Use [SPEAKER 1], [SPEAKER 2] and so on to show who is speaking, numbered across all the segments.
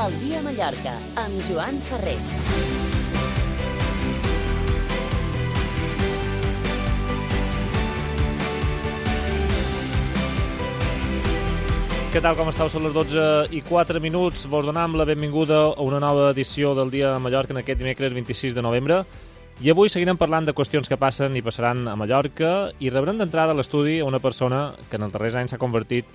[SPEAKER 1] El dia a Mallorca, amb Joan Ferrés.
[SPEAKER 2] Què tal, com esteu? Són les 12:04. Vos donem la benvinguda a una nova edició del Dia a Mallorca en aquest dimecres 26 de novembre. I avui seguirem parlant de qüestions que passen i passaran a Mallorca i rebrem d'entrada a l'estudi a una persona que en els darrers anys s'ha convertit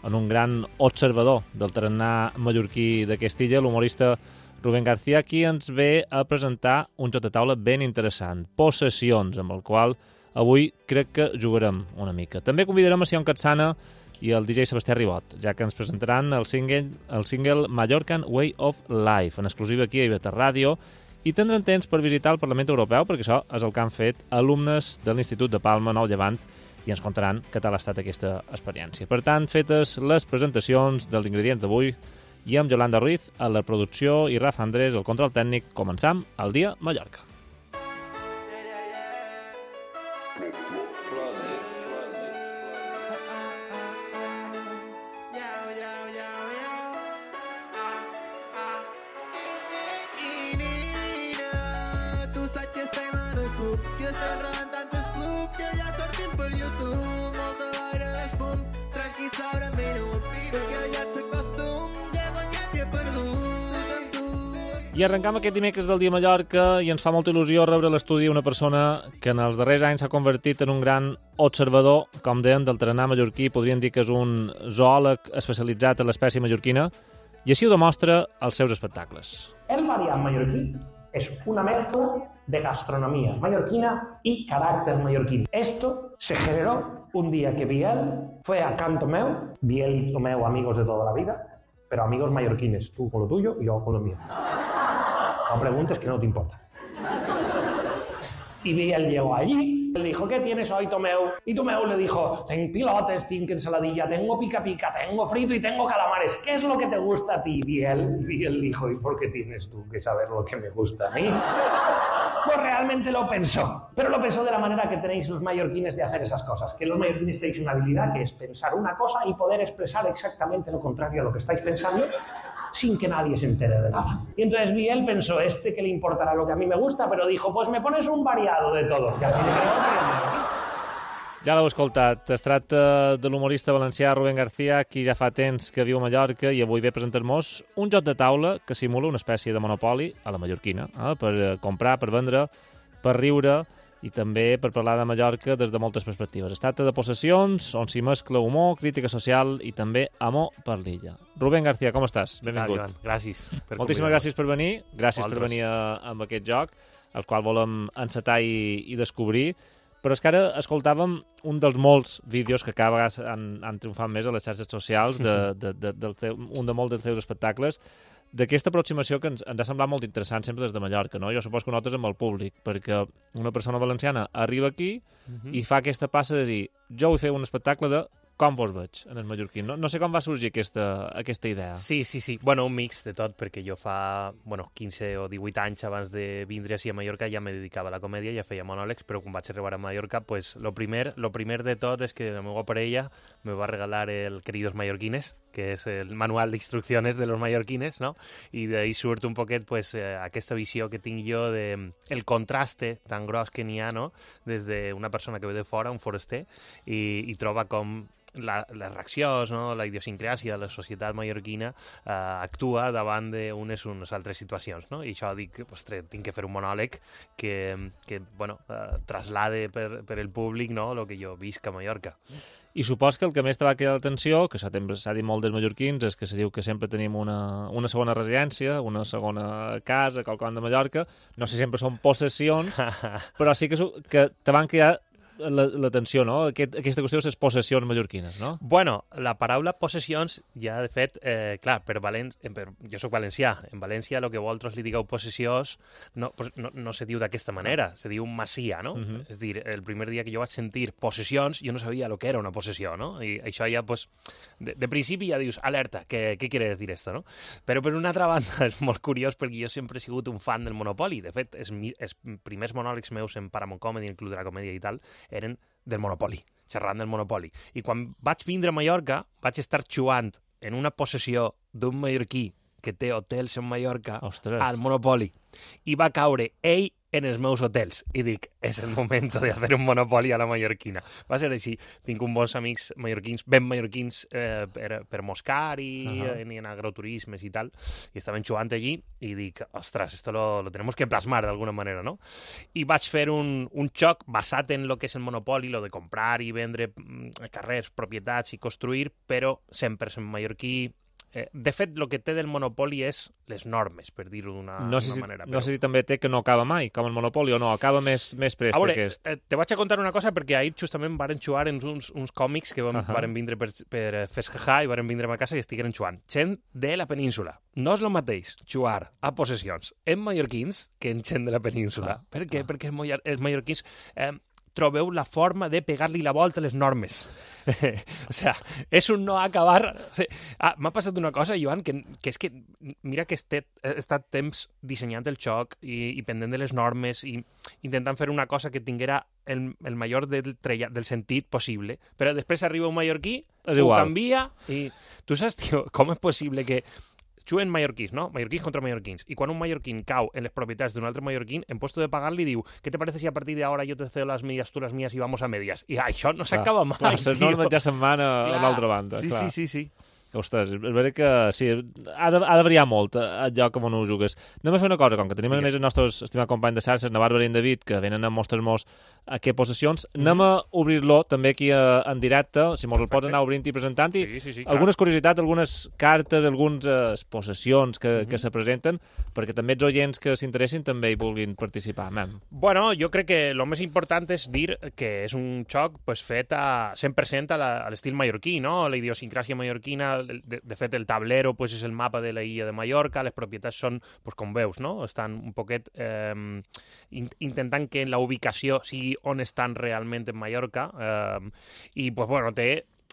[SPEAKER 2] en un gran observador del tarannà mallorquí d'aquesta illa, l'humorista Rubén García, qui ens ve a presentar un joc de taula ben interessant, Possessions, amb el qual avui crec que jugarem una mica. També convidarem a Sion Catsana i el DJ Sebastià Ribot, ja que ens presentaran el single Mallorcan Way of Life, en exclusiva aquí a Iveta Ràdio, i tindran temps per visitar el Parlament Europeu, perquè això és el que han fet alumnes de l'Institut de Palma Nou Llevant, i ens contaran què tal ha estat aquesta experiència. Per tant, fetes les presentacions dels ingredients d'avui, i amb Yolanda Ruiz a la producció i Rafa Andrés al control tècnic, començam el Dia Mallorca. I arrencam aquest dimecres del Dia a Mallorca i ens fa molta il·lusió rebre a l'estudi una persona que en els darrers anys s'ha convertit en un gran observador, com deien, del tarannà mallorquí. Podríem dir que és un zoòleg especialitzat en l'espècie mallorquina, i així ho demostra als seus espectacles.
[SPEAKER 3] El variant mallorquí es una mezcla de gastronomía mallorquina y carácter mallorquín. Esto se generó un día que Biel fue a Can Tomeu. Biel y Tomeu, amigos de toda la vida, pero amigos mallorquines, tú con lo tuyo y yo con lo mío. No preguntes, que no te importa. Y Biel llegó allí, le dijo, ¿qué tienes hoy, Tomeu? Y Tomeu le dijo, tengo pilotes, tengo ensaladilla, tengo pica-pica, tengo frito y tengo calamares. ¿Qué es lo que te gusta a ti, Biel? Y Biel dijo, ¿y por qué tienes tú que saber lo que me gusta a mí? Pues realmente lo pensó, pero lo pensó de la manera que tenéis los mallorquines de hacer esas cosas, que los mallorquines tenéis una habilidad que es pensar una cosa y poder expresar exactamente lo contrario a lo que estáis pensando sin que nadie se entere de nada. Y entonces Biel pensó, que le importará lo que a mí me gusta, pero dijo, pues me pones un variado de todo. Y así le quedó.
[SPEAKER 2] Ja l'heu escoltat. Es tracta de l'humorista valencià Rubén García, qui ja fa temps que viu a Mallorca i avui ve a presentar-nos un joc de taula que simula una espècie de monopoli a la mallorquina, per comprar, per vendre, per riure i també per parlar de Mallorca des de moltes perspectives. Es tracta de Possessions, on s'hi mescla humor, crítica social i també amor per l'illa. Rubén García, com estàs? Benvingut.
[SPEAKER 4] Gràcies.
[SPEAKER 2] Moltíssimes gràcies per venir. Gràcies per venir amb aquest joc, el qual volem encetar i descobrir. Però és que ara escoltàvem un dels molts vídeos que cada vegada han triomfat més a les xarxes socials, un de molts dels teus espectacles, d'aquesta aproximació que ens ha semblat molt interessant sempre des de Mallorca, no? Jo suposo que ho notes amb el públic, perquè una persona valenciana arriba aquí i fa aquesta passa de dir, jo vull fer un espectacle de com vos veig en el mallorquí. No sé com va sorgir aquesta idea.
[SPEAKER 4] Sí. Bueno, un mix de tot, perquè jo fa 15 o 18 anys abans de vindre així a Mallorca ja me dedicava a la comèdia, ja feia monòlegs, però quan vaig arribar a Mallorca, pues lo primer de tot és que la meva parella me va regalar el Queridos Mallorquines, que és el manual d'instruccions de los mallorquines, no? I d'ahí surt un poquet pues, aquesta visió que tinc jo de el contraste tan gros que n'hi ha, no? Des d'una persona que ve de fora, un foraster, i troba com les reaccions, no? La idiosincràsia de la societat mallorquina actua davant d'unes altres situacions, no? I això dic, ostres, tinc que fer un monòleg que traslade per el públic, no? El que jo visc a Mallorca.
[SPEAKER 2] I supos que el que més te va cridar l'atenció, que s'ha dit molt dels mallorquins, és que se diu que sempre tenim una segona residència, una segona casa, quelcom de Mallorca. No sé si sempre són possessions, però sí que te van cridar l'atenció, no? Aquesta qüestió de les possessions mallorquines, no?
[SPEAKER 4] Bueno, la paraula possessions ja, de fet, clar, jo soc valencià. En València, el que vosaltres li digueu possessions no se diu d'aquesta manera, se diu masia, no? És dir, el primer dia que jo vaig sentir possessions, jo no sabia el que era una possessió, no? I això ja, pues, de principi ja dius, alerta, què quiere decir esto, no? Però per una altra banda és molt curiós perquè jo sempre he sigut un fan del Monopoli. De fet, els primers monòlegs meus en Paramount Comedy, en el Club de la Comèdia i tal, eren del Monopoli, xerrant del Monopoli. I quan vaig vindre a Mallorca, vaig estar jugant en una possessió d'un mallorquí que té hotels en Mallorca
[SPEAKER 2] Ostres.
[SPEAKER 4] al Monopoly. I va caure ell en els meus hotels. I dic, és el moment de fer un Monopoly a la mallorquina. Va ser així. Tinc uns bons amics mallorquins, ben mallorquins, per Moscar i en agroturismes i tal, i estaven jugant allí i dic, ostres, esto lo tenemos que plasmar d'alguna manera, no? I vaig fer un xoc basat en lo que és el Monopoly, lo de comprar i vendre carrers, propietats i construir, però 100% mallorquí. De fet, el que té del Monopoly és les normes, per dir-ho d'una manera.
[SPEAKER 2] No sé si també té que no acaba mai, com el Monopoly, o no, acaba més prest
[SPEAKER 4] veure,
[SPEAKER 2] aquest.
[SPEAKER 4] Te vaig a contar una cosa, perquè ahir justament varen jugar en uns còmics que varen vindre per festejar i varen vindre a casa i estigueren jugant. Gent de la península. No és el mateix jugar a possessions en mallorquins que en gent de la península. Per què? Perquè els mallorquins trobeu la forma de pegar-li la volta a les normes. O sea, és un no acabar... O sea, m'ha passat una cosa, Joan, que és que mira que he estat temps dissenyant el joc i pendent de les normes i intentant fer una cosa que tinguera el major del sentit possible, però després arriba un mallorquí, ho canvia i... Tu saps, tio, com és possible que juguen mallorquins, no? Mallorquins contra mallorquins. I quan un mallorquín cau en les propietats d'un altre mallorquín, en puesto de pagar li diu, ¿qué te parece si a partir de ahora yo te cedo las medias, tú las mías y vamos a medias? I això no s'acaba mai,
[SPEAKER 2] tio. Les normes ja se'n van a l'altra banda.
[SPEAKER 4] Sí.
[SPEAKER 2] Ostres, és veritat que sí, ha de variar molt el lloc on ho jugues. Anem a fer una cosa, com que tenim a més els nostres estimats companys de xarxes, na Bàrbara i en David, que venen a mostrar-nos a què possessions, anem a obrir-lo també aquí en directe, si mos el pots anar obrint i presentant, i algunes curiositats, algunes cartes, algunes possessions que se presenten, perquè també els oients que s'interessin també hi vulguin participar.
[SPEAKER 4] Bueno, jo crec que el més important és dir que és un joc fet a 100% a l'estil mallorquí, no? La idiosincràsia mallorquina. De fet, el tablero és el mapa de la illa de Mallorca, les propietats són, com veus, no? Estan un poquet intentant que la ubicació sigui on estan realment en Mallorca i, té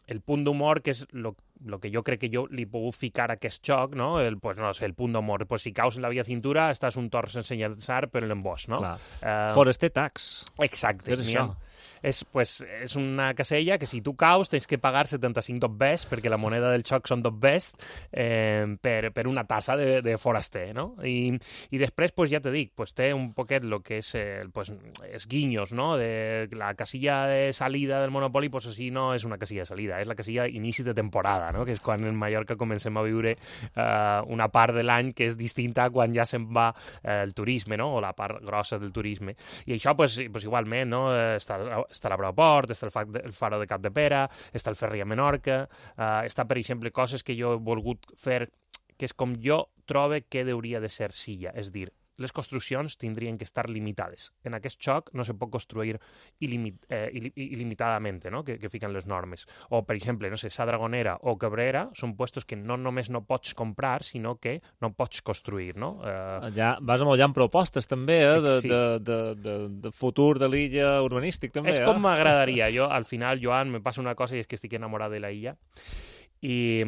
[SPEAKER 4] el punt d'humor, que és el que jo crec que jo li he pogut ficar a aquest joc, no? El punt d'humor. Si caus en la via cintura, estàs un tor sense llançar per l'embós, no?
[SPEAKER 2] Foraster tax.
[SPEAKER 4] Exacte.
[SPEAKER 2] És això.
[SPEAKER 4] És una casella que si tu caus tens que pagar 75 dobbers, perquè la moneda del xoc són dobbers, per una tassa de foraster, no? I després, ja te dic, té un poquet el que és els guinyos, no? De la casilla de salida del Monopoly, així no és una casilla de salida, és la casilla inici de temporada, no? Que és quan en Mallorca comencem a viure una part de l'any que és distinta a quan ja se'n va el turisme, no? O la part grossa del turisme. I això, igualment, no? Està l'aeroport, està el faro de Capdepera, està el ferri a Menorca, està, per exemple, coses que jo he volgut fer, que és com jo trobo que hauria de ser Silla, és dir, les construccions tindrien que estar limitades. En aquest joc no se pot construir il·limitadament, no? Que fiquen les normes. O, per exemple, Sa Dragonera o Cabrera són puestos que no només no pots comprar, sinó que no pots construir, no?
[SPEAKER 2] Ja vas amb propostes, també, de futur de l'illa urbanístic, també.
[SPEAKER 4] És com m'agradaria. Jo, al final, Joan, me passa una cosa i és que estic enamorat de la illa i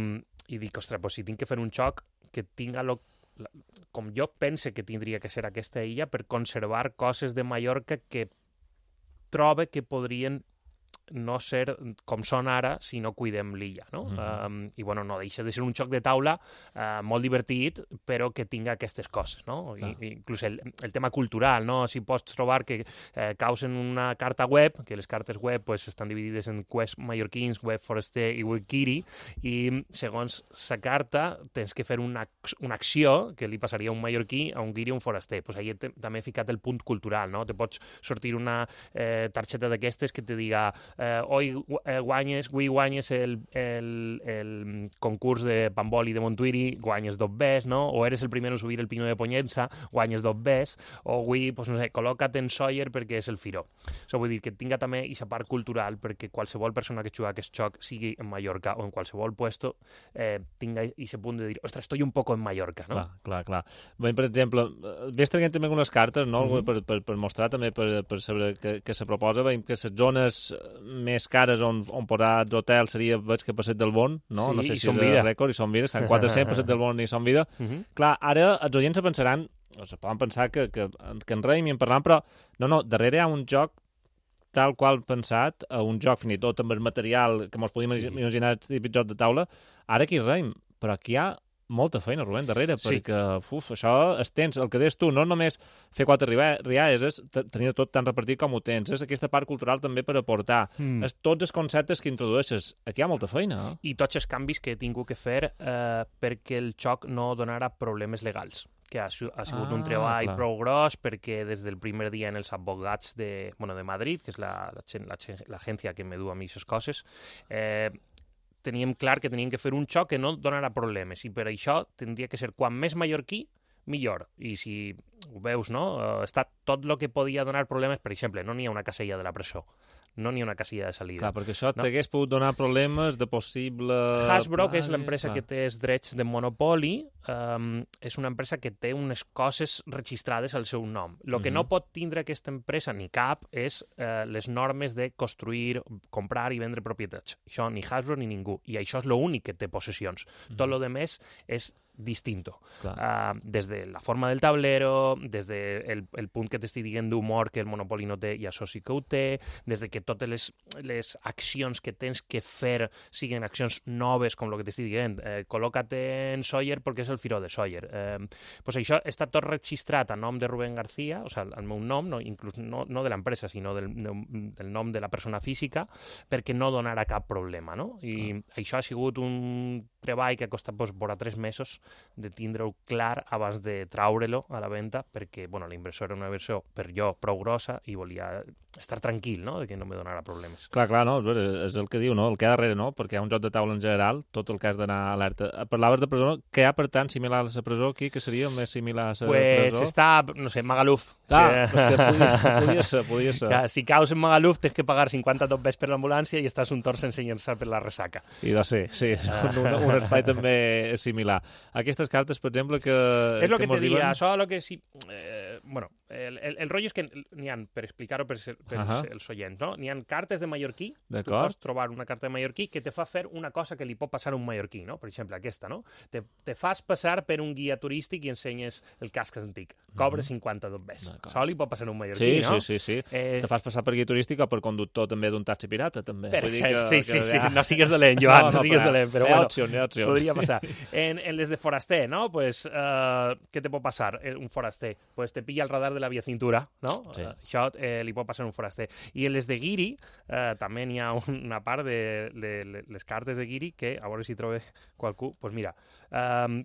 [SPEAKER 4] dic, ostres, si tinc que fer un joc que tinga com jo pense que tindria que ser aquesta illa per conservar coses de Mallorca que trobe que podrien no ser com són ara si no cuidem l'illa, no? I, no deixa de ser un joc de taula molt divertit, però que tinga aquestes coses, no? Inclús el tema cultural, no? Si pots trobar que caus en una carta web, que les cartes web estan dividides en webs mallorquins, web foraster i web kiri, i segons la carta tens que fer una acció que li passaria a un mallorquí, a un guiri, a un foraster. Ahí també he ficat el punt cultural, no? Te pots sortir una targeta d'aquestes que te diga hoy guanyes el concurs de Pamboli de Montuiri, guanyes 2 bes, no? O eres el primer en subir el Pino de Poñensa, guanyes 2 bes, o avui, col·loca't en Sawyer perquè és el firó. Vull dir que tinga també aquesta part cultural perquè qualsevol persona que juga a aquest joc, sigui en Mallorca o en qualsevol puesto, tinga aquest punt de dir, ostres, estoy un poco en Mallorca, no?
[SPEAKER 2] Clar. Bé, per exemple, ves traient també algunes cartes, no? Per mostrar també, per saber què se proposa. Veiem que les zones més cares on posar hotels seria, veig que Passeig del Bon, no?
[SPEAKER 4] Sí,
[SPEAKER 2] no sé si
[SPEAKER 4] és
[SPEAKER 2] el rècord, i Son Vida, estan 400, Passeig del Bon i Son Vida. Clar, ara els oients se pensaran, o se poden pensar que en reim i en parlant, però no, darrere hi ha un joc tal qual pensat, un joc fins i tot amb el material que ens podíem imaginar típic joc de taula. Ara aquí reim, però aquí hi ha molta feina, Rubén, darrere,
[SPEAKER 4] Sí.
[SPEAKER 2] perquè això es tens, el que deies tu, no només fer 4 rialles, és tenir tot tan repartit com ho tens, és aquesta part cultural també per aportar, és tots els conceptes que introdueixes. Aquí hi ha molta feina, eh?
[SPEAKER 4] I tots els canvis que he tingut que fer perquè el xoc no donara problemes legals, que ha sigut un treball
[SPEAKER 2] clar.
[SPEAKER 4] prou gros, perquè des del primer dia en els advocats de Madrid, que és l'agència que me du a mi aquestes coses, teníem clar que teníem que fer un xoc que no donarà problemes, i per això tindria que ser quan més mallorquí, millor. I si ho veus, no? Està tot el que podia donar problemes, per exemple, no n'hi ha una casella de la presó, no n'hi ha una casilla de salida.
[SPEAKER 2] Clar, perquè això
[SPEAKER 4] No.
[SPEAKER 2] t'hagués pogut donar problemes de possible...
[SPEAKER 4] Hasbro, que és l'empresa
[SPEAKER 2] Clar.
[SPEAKER 4] que té els drets de monopoli, és una empresa que té unes coses registrades al seu nom. El que no pot tindre aquesta empresa, ni cap, és les normes de construir, comprar i vendre propietats. Això ni Hasbro ni ningú. I això és l'únic que té possessions. Tot lo demés és distinto. Des de la forma del tablero, des del punt que t'estic dient d'humor que el Monopoli no té i això sí que ho té, des de que totes les accions que tens que fer siguin accions noves, com el que t'estic dient, col·loca't en Sawyer perquè és el firó de Sawyer. Pues això està tot registrat a nom de Rubén García, o sigui, el meu nom, inclús no de l'empresa, sinó del nom de la persona física, perquè no donarà cap problema, no? I això ha sigut un treball que ha costat vora 3 mesos de tindre-ho clar abans de traure-lo a la venda, perquè bueno, la inversió era una versió per jo prou grossa i volia estar tranquil, no?, de que no me donarà problemes.
[SPEAKER 2] Clar, no, és el que diu, no? El que hi ha darrere, no? Perquè hi ha un joc de taula en general, tot el que has d'anar alerta. Parlaves de presó, què hi ha per tant similar a la presó aquí, que seria el més similar a la
[SPEAKER 4] Pues
[SPEAKER 2] presó?
[SPEAKER 4] està, no sé, Magaluf.
[SPEAKER 2] Clar, és que podia ser.
[SPEAKER 4] Que si caus en Magaluf tens que pagar 50 tombes per l'ambulància i estàs un torn sense llençar per la ressaca.
[SPEAKER 2] I de ser, sí, un espai també similar. Aquestes cartes, per exemple, que...
[SPEAKER 4] És el que te
[SPEAKER 2] diuen...
[SPEAKER 4] diria, això el que sí... bueno, el rotllo és que n'hi ha, per explicar-ho per els oients, no? N'hi ha cartes de mallorquí, tu pots trobar una carta de mallorquí que te fa fer una cosa que li pot passar a un mallorquí, no? Per exemple, aquesta, no? Te fas passar per un guia turístic i ensenyes el casc antic. Cobres 50 dobbers. Això li pot passar a un mallorquí, no?
[SPEAKER 2] Sí. Te fas passar per guia turístic o per conductor també d'un taxi pirata, també.
[SPEAKER 4] Per exemple, sí. No sigues dolent, Joan, no sigues dolent, però bueno,
[SPEAKER 2] opcions.
[SPEAKER 4] podria passar. En les de foraster, no? Pues, què te pot passar un foraster? Pues te pilla el radar de la via cintura, no?
[SPEAKER 2] Sí.
[SPEAKER 4] Això li pot passar a un foraster. I en les de guiri, també n'hi ha una part de les cartes de guiri que, a veure si trobo qualcú, pues mira,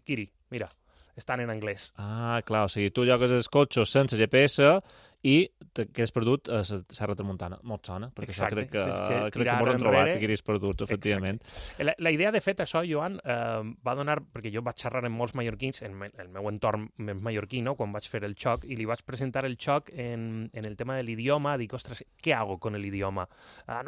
[SPEAKER 4] guiri, mira, estan en anglès.
[SPEAKER 2] Ah, clar, o sigui, tu llogues els cotxes sense GPS i que és perdut a la Serra Tramuntana. Molt sona, perquè
[SPEAKER 4] Exacte,
[SPEAKER 2] crec que m'ho han trobat que guiris perduts, efectivament.
[SPEAKER 4] La idea, de fet, això, Joan, va donar, perquè jo vaig xerrar amb molts mallorquins, en el meu entorn més mallorquí, no?, quan vaig fer el xoc, i li vaig presentar el xoc en el tema de l'idioma. Dic, ostres, què hago con el idioma?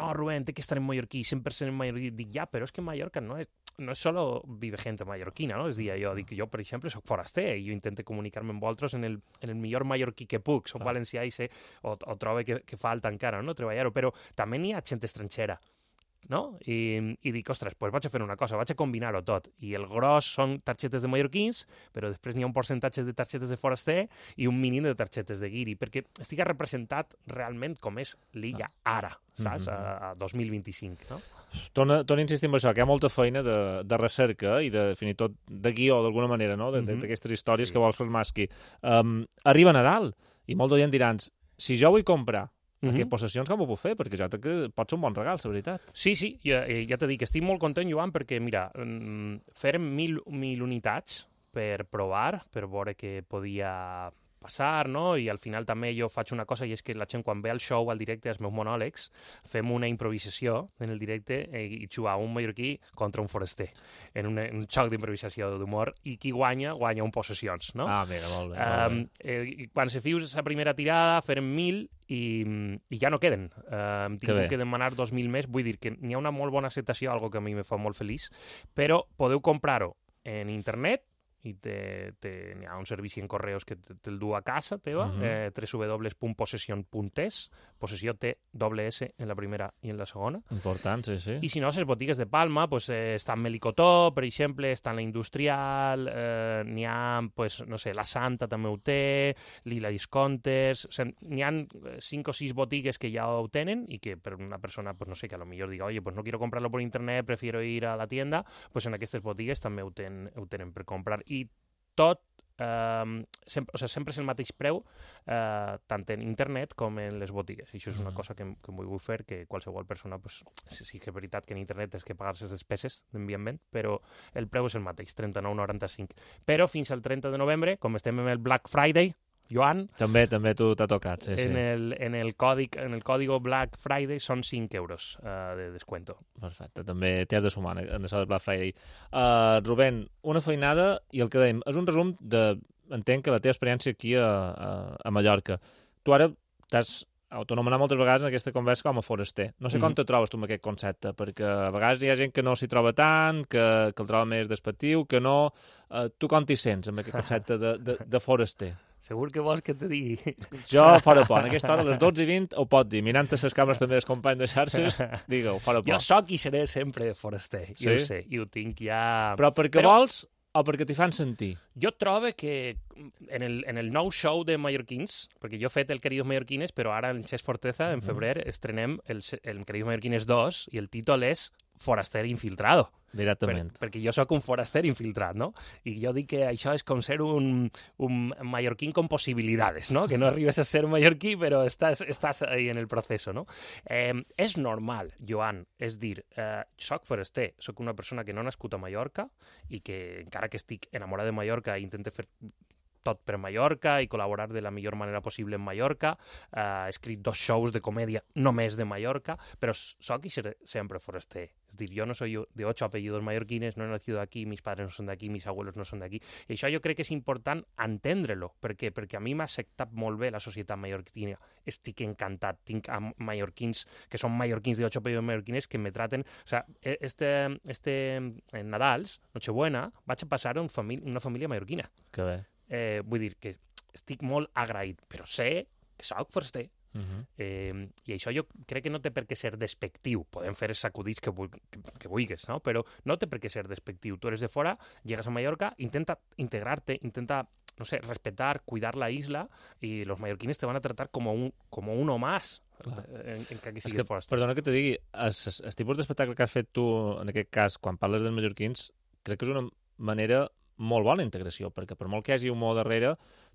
[SPEAKER 4] No, Rubén, té que estar en mallorquí, 100% en mallorquí. Dic, ja, però és que Mallorca no és solo vive gente mallorquina, no? És a dir, jo, per exemple, soc foraster i jo intento comunicar-me amb vosaltres en el millor mallorquí que puc. Soc valencià i sé, o trobo que falta encara, no?, treballar-ho, però també n'hi ha gent estrangera, no? I dic, ostres, doncs vaig a fer una cosa, vaig a combinar-ho tot. I el gros són targetes de mallorquins, però després n'hi ha un percentatge de targetes de foraster i un mínim de targetes de guiri, perquè estigui representat realment com és l'illa ara, saps? A 2025, no?
[SPEAKER 2] Torna a insistir en això, que hi ha molta feina de recerca i fins i tot de guió, d'alguna manera, no?, d'aquestes històries que vols plasmar aquí. Arriba Nadal i molt d'oient diran, si jo vull comprar aquestes possessions, com ho puc fer? Perquè jo crec que pot ser un bon regal, la veritat.
[SPEAKER 4] Sí, ja t'he dit que estic molt content, Joan, perquè, mira, fèrem 1.000 unitats per provar, per veure què podia passar, no? I al final també jo faig una cosa, i és que la gent quan ve al show, al directe, als meus monòlegs, fem una improvisació en el directe i jugar un mallorquí contra un foraster, en un xoc d'improvisació d'humor, i qui guanya un possessions, no?
[SPEAKER 2] Ah, mira, molt bé.
[SPEAKER 4] Quan se fius la primera tirada, farem 1.000 i ja no queden. Hem tingut que demanar 2.000 més, vull dir que n'hi ha una molt bona acceptació, algo que a mi me fa molt feliç, però podeu comprar-ho en internet i n'hi ha un servici en correus que te'l du a casa teva, www.possession.es, possessió té doble S en la primera i en la segona.
[SPEAKER 2] Important, sí.
[SPEAKER 4] I si no, les botigues de Palma, pues, està en Melicotó, per exemple, està en la Industrial, n'hi ha, pues, no sé, la Santa també ho té, Lila Discounters, o sigui, n'hi ha 5 o 6 botigues que ja ho tenen i que per una persona, pues, no sé, que a lo millor diga, oye, pues no quiero comprarlo por internet, prefiero ir a la tienda, pues en aquestes botigues també ho tenen per comprar. I tot, sempre és el mateix preu, tant en internet com en les botigues. I això és una cosa que vull fer, que qualsevol persona, pues, sí que és veritat que en internet és que pagar les despeses d'enviament, però el preu és el mateix, 39,95. Però fins al 30 de novembre, com estem en el Black Friday, Joan...
[SPEAKER 2] També tu t'ha tocat, sí.
[SPEAKER 4] En el código Black Friday són 5 euros de descuento.
[SPEAKER 2] Perfecte, també t'hi has de sumar en això del Black Friday. Rubén, una feinada i el que dèiem, és un resum entenc que la teva experiència aquí a Mallorca. Tu ara t'has autonomenat moltes vegades en aquesta conversa com a foraster. No sé com te trobes tu amb aquest concepte, perquè a vegades hi ha gent que no s'hi troba tant, que el troba més despectiu, que no... Tu com t'hi sents amb aquest concepte de foraster?
[SPEAKER 4] Segur que vols que te digui.
[SPEAKER 2] Jo, fora por. En aquesta hora, a les 12:20, ho pot dir. Mirant les càmeres també dels companys de xarxes, digue-ho, fora por.
[SPEAKER 4] Jo soc i seré sempre foraster,
[SPEAKER 2] sí?
[SPEAKER 4] jo ho sé, i ho tinc ja...
[SPEAKER 2] Però perquè vols o perquè t'hi fan sentir?
[SPEAKER 4] Jo trobo que en el nou show de mallorquins, perquè jo he fet el Queridos Mallorquines, però ara en Xes Forteza, en febrer, estrenem el Queridos Mallorquines 2 i el títol és Foraster Infiltrado.
[SPEAKER 2] Directament.
[SPEAKER 4] Perquè jo sóc un foraster infiltrat, no? I jo dic que això és com ser un mallorquín con possibilitats, no? Que no arribes a ser mallorquí, però estàs ahí en el procés, no? És normal, Joan, és dir, soc foraster, soc una persona que no ha nascut a Mallorca i que, encara que estic enamorat de Mallorca, intento fer tot per Mallorca i col·laborar de la millor manera possible en Mallorca. He escrit 2 shows de comèdia només de Mallorca, però soc i seré sempre foraster. Es dir, yo no soy de 8 apellidos mallorquines, no he nacido aquí, mis padres no son de aquí, mis abuelos no son de aquí. I això jo crec que és important entendre-lo. Per què? Perquè a mi m'ha acceptat molt bé la societat mallorquina. Estic encantat. Tinc mallorquins que són mallorquins de 8 apellidos mallorquines que me traten... O sea, en Nadals, Nochebuena, vaig a passar a una família mallorquina.
[SPEAKER 2] Que bé.
[SPEAKER 4] Vull dir que estic molt agraït, però sé que soc foraster. I això jo crec que no té per què ser despectiu. Podem fer els sacudits que vulguis, no? Però no té per què ser despectiu. Tu eres de fora, llegas a Mallorca, intenta integrar-te, intenta, no sé, respetar, cuidar la isla, i los mallorquines te van a tratar como uno más. En que siguis foraster.
[SPEAKER 2] Perdona que te digui, el tipus d'espectacle que has fet tu, en aquest cas, quan parles dels mallorquins, crec que és una manera molt bona integració, perquè per molt que hi hagi humor darrere,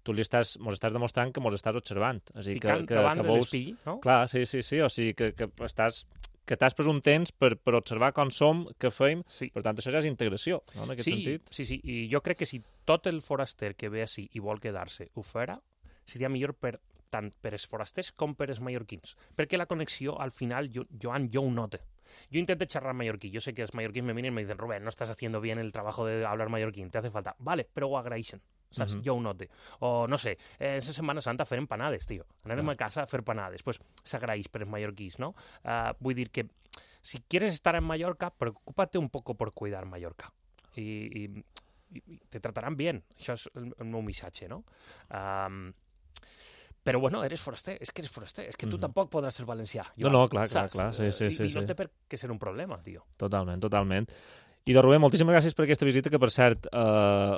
[SPEAKER 2] tu mos estàs demostrant que mos estàs observant.
[SPEAKER 4] Ficant davant de l'espill, no?
[SPEAKER 2] Clar, sí, o sigui, que t'has pres un temps per observar com som, què feim, per tant, això ja és integració, no?, en aquest sentit.
[SPEAKER 4] Sí, i jo crec que si tot el foraster que ve així i vol quedar-se ho farà, seria millor tant per els forasters com per els mallorquins, perquè la connexió, al final, Joan, jo ho noto. Yo intento charlar mallorquí. Yo sé que los mallorquíes me miran y me dicen, Rubén, no estás haciendo bien el trabajo de hablar mallorquín, te hace falta. Vale, però ho agraeixen, saps? Jo ho note. O, no sé, en Setmana Santa fer empanades, tio. Anarem a casa a fer panades. Pues s'agraeix per els mallorquís, ¿no? Vull dir que si quieres estar en Mallorca, preocúpate un poco por cuidar Mallorca. Y te tratarán bien. Això és el meu missatge, no? Però, bueno, eres foraster, és que tu tampoc podràs ser valencià.
[SPEAKER 2] No, clar, sí.
[SPEAKER 4] I no té per què ser un problema, tio.
[SPEAKER 2] Totalment. I de Rubén, moltíssimes gràcies per aquesta visita, que per cert,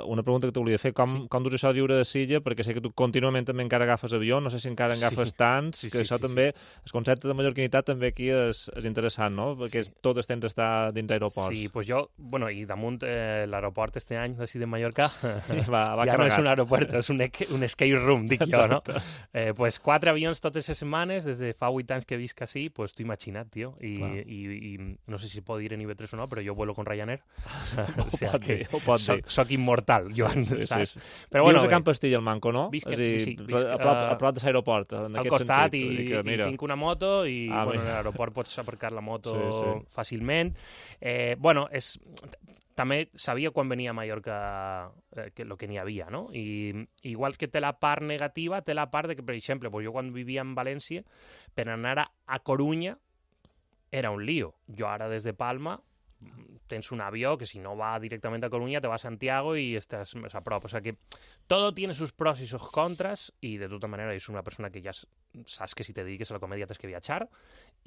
[SPEAKER 2] una pregunta que t'ho volia fer, com dus això de viure a Silla, perquè sé que tu contínuament també encara agafes avió, no sé si encara agafes tants, que això també, el concepte de mallorquinitat també aquí és interessant, no? Perquè tot el temps està dins aeroports.
[SPEAKER 4] Sí, doncs jo, bueno, i damunt l'aeroport este any d'ací de Mallorca,
[SPEAKER 2] va
[SPEAKER 4] ja no és un aeroport, és un escape room, dic jo, no? Pues 4 avions totes les setmanes, des de fa 8 anys que visc així, pues t'ho imagina't, tio, i no sé si pot dir en IB3 o no, però jo vuelo con Ryanair. O sea que soc immortal, Joan, saps?
[SPEAKER 2] Però bueno, vius a Can Pastilla, el Manco, no?
[SPEAKER 4] Visc
[SPEAKER 2] a prop de l'aeroport, en aquest
[SPEAKER 4] costat,
[SPEAKER 2] sentit.
[SPEAKER 4] I tinc una moto i en l'aeroport pots aparcar la moto fàcilment. Bueno, també sabia quan venia a Mallorca el que n'hi havia, no? I igual que té la part negativa, té la part de que, per exemple, jo quan vivia en València, per anar a Corunya era un lío. Jo ara des de Palma tens un avió que si no va directamente a Coruña te va a Santiago y estás más a prop. O sea que todo tiene sus pros y sus contras y de tota manera és una persona que ja saps que si te dediques a la comèdia tens que viatjar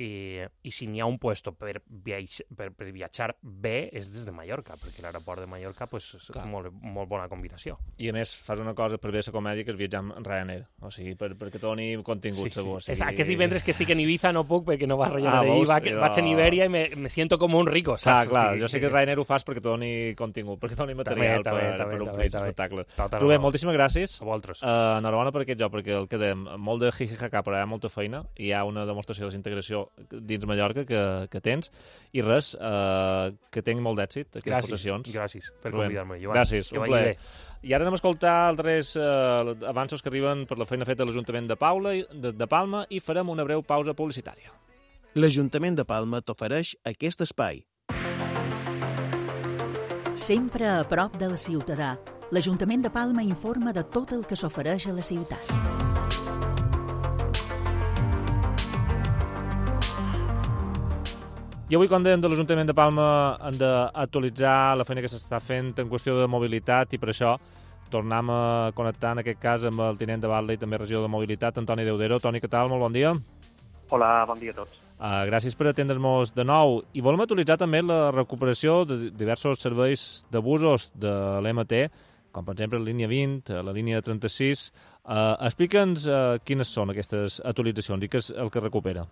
[SPEAKER 4] i si n'hi ha un puesto per viatjar bé és des de Mallorca, perquè l'aeroport de Mallorca pues, és molt bona combinació.
[SPEAKER 2] I a més fas una cosa per bé la comèdia que és viatjar amb Ryanair, o sigui, perquè doni contingut segur.
[SPEAKER 4] Sí. Aquest divendres que estic en Ibiza no puc perquè no va Ryanair vaig en Iberia i me siento com un rico, saps?
[SPEAKER 2] Clar, jo sé que Ryanair ho fas perquè doni contingut, perquè doni material per omplir l'espectacle. Rubén, moltíssimes gràcies.
[SPEAKER 4] A vosaltres.
[SPEAKER 2] Enhorabona per aquest joc, perquè el quedem molt de jijijaca, però hi ha molta feina, i hi ha una demostració de desintegració dins Mallorca que tens, i res, que tingui molt d'èxit aquestes possessions.
[SPEAKER 4] Gràcies per convidar-me, Joan.
[SPEAKER 2] Gràcies, un plaer. I ara anem a escoltar altres avanços que arriben per la feina feta a l'Ajuntament de Palma i farem una breu pausa publicitària.
[SPEAKER 5] L'Ajuntament de Palma t'ofereix aquest espai.
[SPEAKER 6] Sempre a prop del ciutadà, l'Ajuntament de Palma informa de tot el que s'ofereix a la ciutat.
[SPEAKER 2] I avui, quan dèiem de l'Ajuntament de Palma, hem d'actualitzar la feina que s'està fent en qüestió de mobilitat i per això tornem a connectar, en aquest cas, amb el tinent de batlle i també regidor de mobilitat, Antoni Deudero. Toni, què tal? Molt bon dia.
[SPEAKER 7] Hola, bon dia a tots.
[SPEAKER 2] Gràcies per atendre'ns de nou. I volem actualitzar també la recuperació de diversos serveis de busos de l'MT, com per exemple la línia 20, la línia 36. Explica'ns quines són aquestes actualitzacions i què és el que recupera.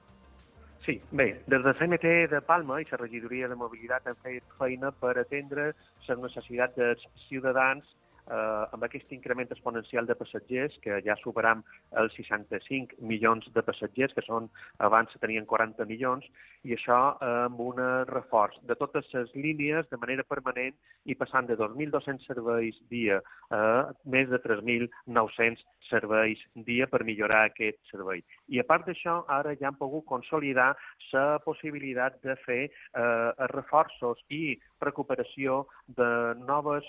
[SPEAKER 7] Sí, bé, des de CMT de Palma i la regidoria de mobilitat han fet feina per atendre les necessitats dels ciutadans amb aquest increment exponencial de passatgers, que ja superam els 65 milions de passatgers, que són, abans tenien 40 milions, i això amb un reforç de totes les línies de manera permanent i passant de 2.200 serveis dia a més de 3.900 serveis dia per millorar aquest servei. I a part d'això, ara ja han pogut consolidar la possibilitat de fer reforços i recuperació de noves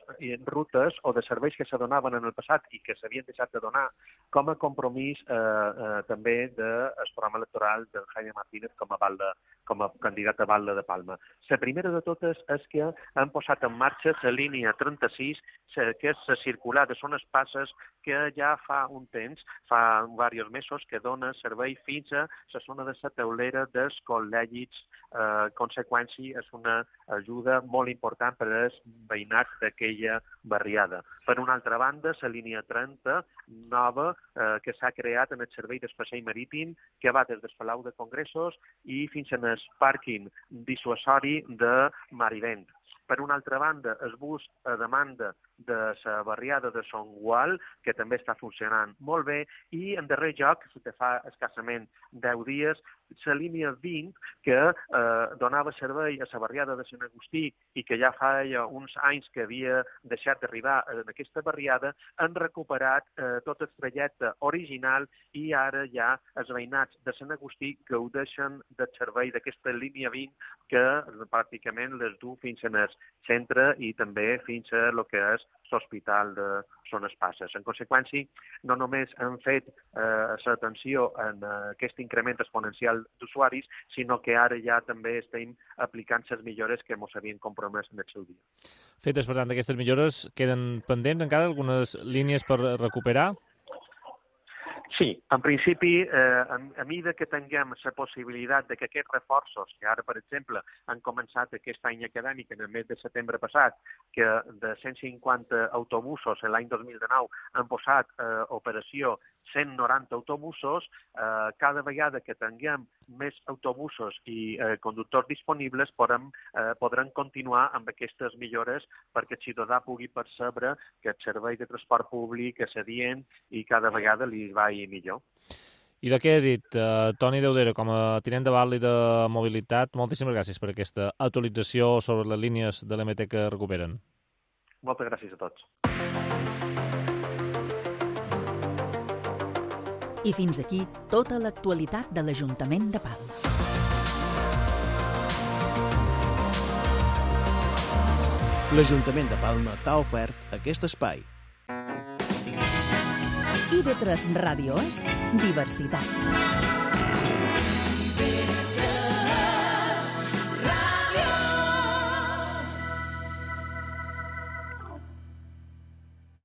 [SPEAKER 7] rutes o de serveis que se donaven en el passat i que s'havien deixat de donar com a compromís també del programa electoral del Jaime Martínez com a candidat a batlle de Palma. La primera de totes és que han posat en marxa la línia 36, que és la circular de zones passes que ja fa un temps, fa diversos mesos, que dona servei fins a la zona de la Teulera dels Col·legis. Conseqüència, és una ajuda molt important per als veïnats d'aquella barriada. Per una altra banda, la línia 30, nova, que s'ha creat en el servei d'espasseig marítim, que va des del Palau de Congressos i fins al pàrquing dissuasori de Marivent. Per una altra banda, el bus a demanda de la barriada de Son Gual, que també està funcionant molt bé, i en darrer lloc, que fa escassament 10 dies, la línia 20, que donava servei a la barriada de Sant Agustí i que ja fa uns anys que havia deixat d'arribar en aquesta barriada, han recuperat tot el trajecte original i ara ja els veïnats de Sant Agustí gaudeixen del servei d'aquesta línia 20 que pràcticament les du fins al centre i també fins a el que és l'hospital de Zones Passes. En conseqüència, no només han fet l'atenció en aquest increment exponencial d'usuaris, sinó que ara ja també estem aplicant les millores que ens havien compromès en el seu dia.
[SPEAKER 2] Fetes, per tant, aquestes millores, queden pendents encara algunes línies per recuperar?
[SPEAKER 7] Sí, en principi, a mesura que tinguem la possibilitat de que aquests reforços, que ara, per exemple, han començat aquest any acadèmic en el mes de setembre passat, que de 150 autobusos l'any 2019 han posat operació 190 autobusos, cada vegada que tinguem més autobusos i conductors disponibles podran continuar amb aquestes millores perquè el ciutadà pugui percebre que el servei de transport públic és adient i cada vegada li va millor.
[SPEAKER 2] I de què he dit, Toni Deudero, com a tinent de batlle de mobilitat, moltíssimes gràcies per aquesta actualització sobre les línies de l'MT que recuperen.
[SPEAKER 7] Moltes gràcies a tots.
[SPEAKER 6] I fins aquí tota l'actualitat de l'Ajuntament de Palma.
[SPEAKER 5] L'Ajuntament de Palma t'ha ofert aquest espai.
[SPEAKER 6] IB3 Ràdio és diversitat.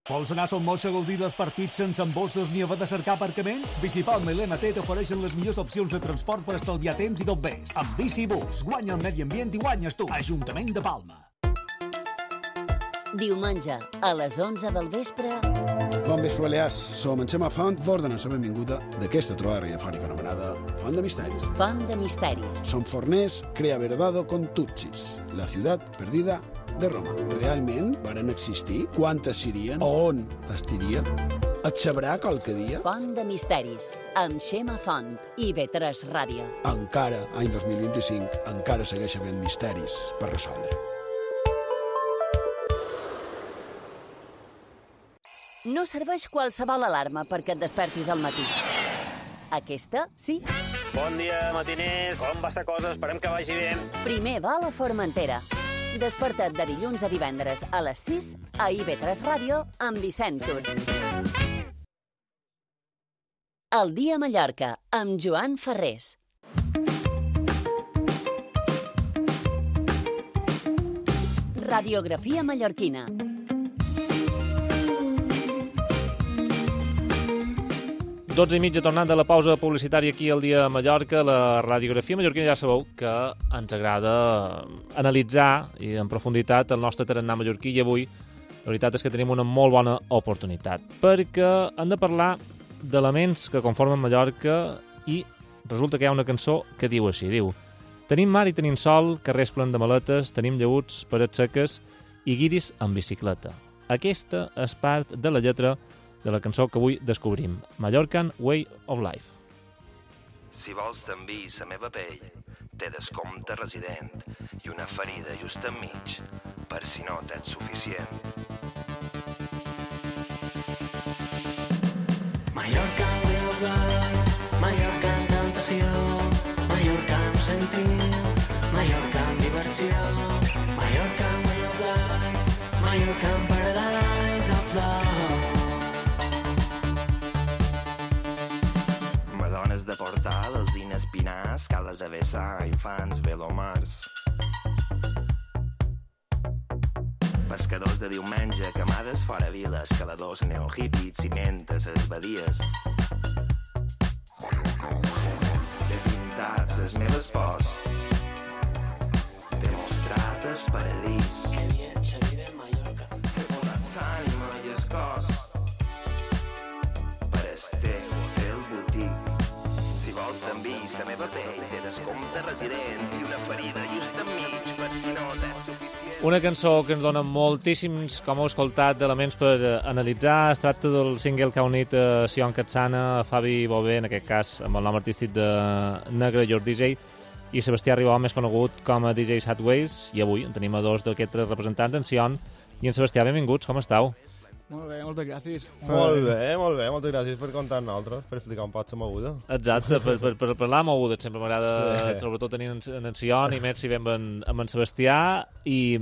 [SPEAKER 8] Vols anar a Son Moix a gaudir dels partits sense embossos ni haver de cercar aparcament? Bicipalma i l'MT t'ofereixen les millors opcions de transport per estalviar temps i tot més. Amb Bicibus, guanya el medi ambient i guanyes tu. Ajuntament de Palma.
[SPEAKER 1] Diumenge, a les 11 del vespre...
[SPEAKER 9] Bon vespre, Balears. Som en Xema Font, vos donem la benvinguda d'aquesta trobada radiofònica anomenada Font de Misteris.
[SPEAKER 1] Font de Misteris.
[SPEAKER 9] Som forners, crea verdado con Tutsis, la ciutat perdida de Roma. Realment varen existir? Quantes serien? On estirien? Et sabrà qualque dia?
[SPEAKER 1] Font de Misteris, amb Xema Font i B3 Ràdio.
[SPEAKER 9] Encara, any 2025, encara segueix havent misteris per resoldre.
[SPEAKER 1] No serveix qualsevol alarma perquè et despertis al matí. Aquesta, sí.
[SPEAKER 10] Bon dia, matiners. Com va la cosa? Esperem que vagi bé.
[SPEAKER 1] Primer va a la Formentera. Desperta't de dilluns a divendres a les 6 a IB3 Ràdio amb Vicent Tur. El dia a Mallorca amb Joan Ferrés. Radiografia mallorquina.
[SPEAKER 2] Dotze i mitja, tornant de la pausa publicitària aquí al dia a Mallorca. La radiografia mallorquina ja sabeu que ens agrada analitzar i en profunditat el nostre tarannà mallorquí, i avui la veritat és que tenim una molt bona oportunitat, perquè hem de parlar d'elements que conformen Mallorca i resulta que hi ha una cançó que diu així, diu: tenim mar i tenim sol, carrers plens de maletes, tenim llaüts, parets seques i guiris amb bicicleta. Aquesta és part de la lletra de la cançó que avui descobrim, Mallorcan Way of Life.
[SPEAKER 11] Si vols d'envi sa meva pell, té descompte resident i una ferida just enmig, per si no t'ets suficient.
[SPEAKER 12] Mallorca Way of Life, Mallorca en tentació, Mallorca en sentit, Mallorca en diversió, Mallorca Way of Life, Mallorca en paradise of love.
[SPEAKER 11] De portal, alzines pinars, cales a vessar, infants, velomars. Pescadors de diumenge, camades fora viles, caladors neohippies, cimentes, les badies. T'he pintat les meves pors, t'he mostrat el paradís, t'he volat l'ànima i el cos, per este hotel botic. La meva pell té descompte resident i una ferida just enmig, per si no t'és suficient.
[SPEAKER 2] Una cançó que ens dona moltíssims, com heu escoltat, elements per analitzar. Es tracta del single que ha unit a Sion Katsana, a Fabi Bové, en aquest cas amb el nom artístic de Negre, Your DJ, i Sebastià Ribó, més conegut com a DJ Sadways. I avui en tenim a dos d'aquests representants, en Sion i en Sebastià. Benvinguts, com esteu?
[SPEAKER 13] Molt bé, moltes gràcies.
[SPEAKER 14] Molt bé, moltes gràcies per comptar amb nosaltres, per explicar un poc la moguda.
[SPEAKER 2] Exacte, per parlar de moguda, sempre m'agrada, sobretot tenir en Sion i més si vam amb en Sebastià, i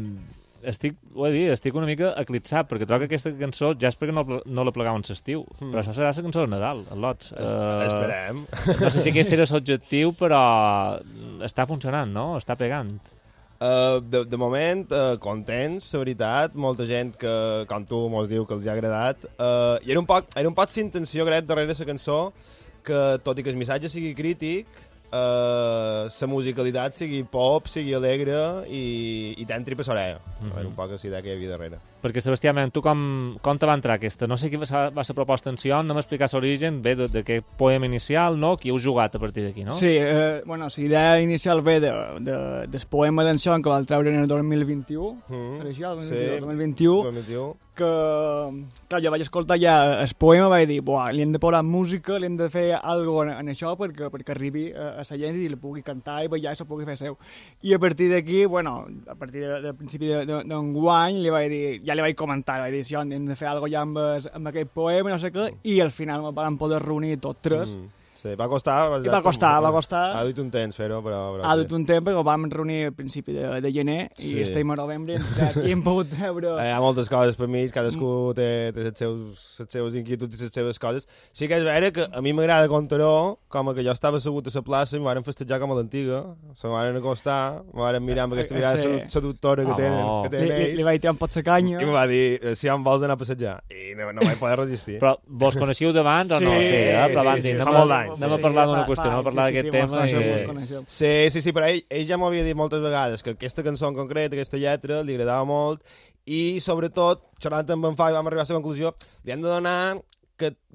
[SPEAKER 2] estic una mica eclipsat, perquè trobo que aquesta cançó ja és perquè no la plegaven l'estiu, però això serà la cançó de Nadal, el Lots.
[SPEAKER 14] Esperem.
[SPEAKER 2] No sé si aquest era l'objectiu, però està funcionant, no? Està pegant.
[SPEAKER 14] De moment, contents, la veritat, molta gent que, com tu, mos diu que els ha agradat. I era un poc la intenció, crec, darrere la cançó, que tot i que el missatge sigui crític, la musicalitat sigui pop, sigui alegre i t'entri per l'orella. Era un poc la idea que hi havia darrere.
[SPEAKER 2] Perquè, Sebastià, tu com te va entrar aquesta? No sé qui va ser la proposta en Sion, no m'explicar l'origen, ve d'aquest poema inicial, no? Qui heu jugat a partir d'aquí, no?
[SPEAKER 13] Sí, la idea inicial ve del poema d'en Sion que va treure en el 2021, el 2021, que clar, jo vaig escoltar ja el poema, vaig dir, li hem de posar música, li hem de fer alguna cosa en això perquè arribi a la gent i li pugui cantar i ballar i se pugui fer seu. I a partir d'aquí, a partir del principi d'enguany, ja li vaig comentar, vaig dir, hem de fer alguna cosa ja amb aquest poema, no sé què, i al final vam poder reunir tots tres
[SPEAKER 14] Sí, va costar.
[SPEAKER 13] I va costar.
[SPEAKER 14] Ha duit un temps fer-ho, però
[SPEAKER 13] ha duit un temps, perquè ho vam reunir al principi de gener, i estem a novembre i hem pogut treure...
[SPEAKER 14] Hi ha moltes coses per mi, cadascú té les seves inquietuds i les seves coses. Sí que és vera que a mi m'agrada contar-ho, com que jo estava assegut a la plaça i m'ho van festejar com a l'antiga, se m'ho van acostar, m'ho van mirar amb aquesta mirada seductora que tenen ells.
[SPEAKER 13] Li vaig tirar un pot la canya.
[SPEAKER 14] I em va dir, si em vols anar a passejar. I no vaig poder resistir.
[SPEAKER 2] Però vos coneixíeu d'abans o no? Sí, però van dir, anem a parlar d'una qüestió, anem a parlar d'aquest tema.
[SPEAKER 14] Sí, però ell ja m'ho havia dit moltes vegades, que aquesta cançó en concret, aquesta lletra, li agradava molt, i sobretot, xerrant amb en Fabi, vam arribar a la conclusió, li hem de donar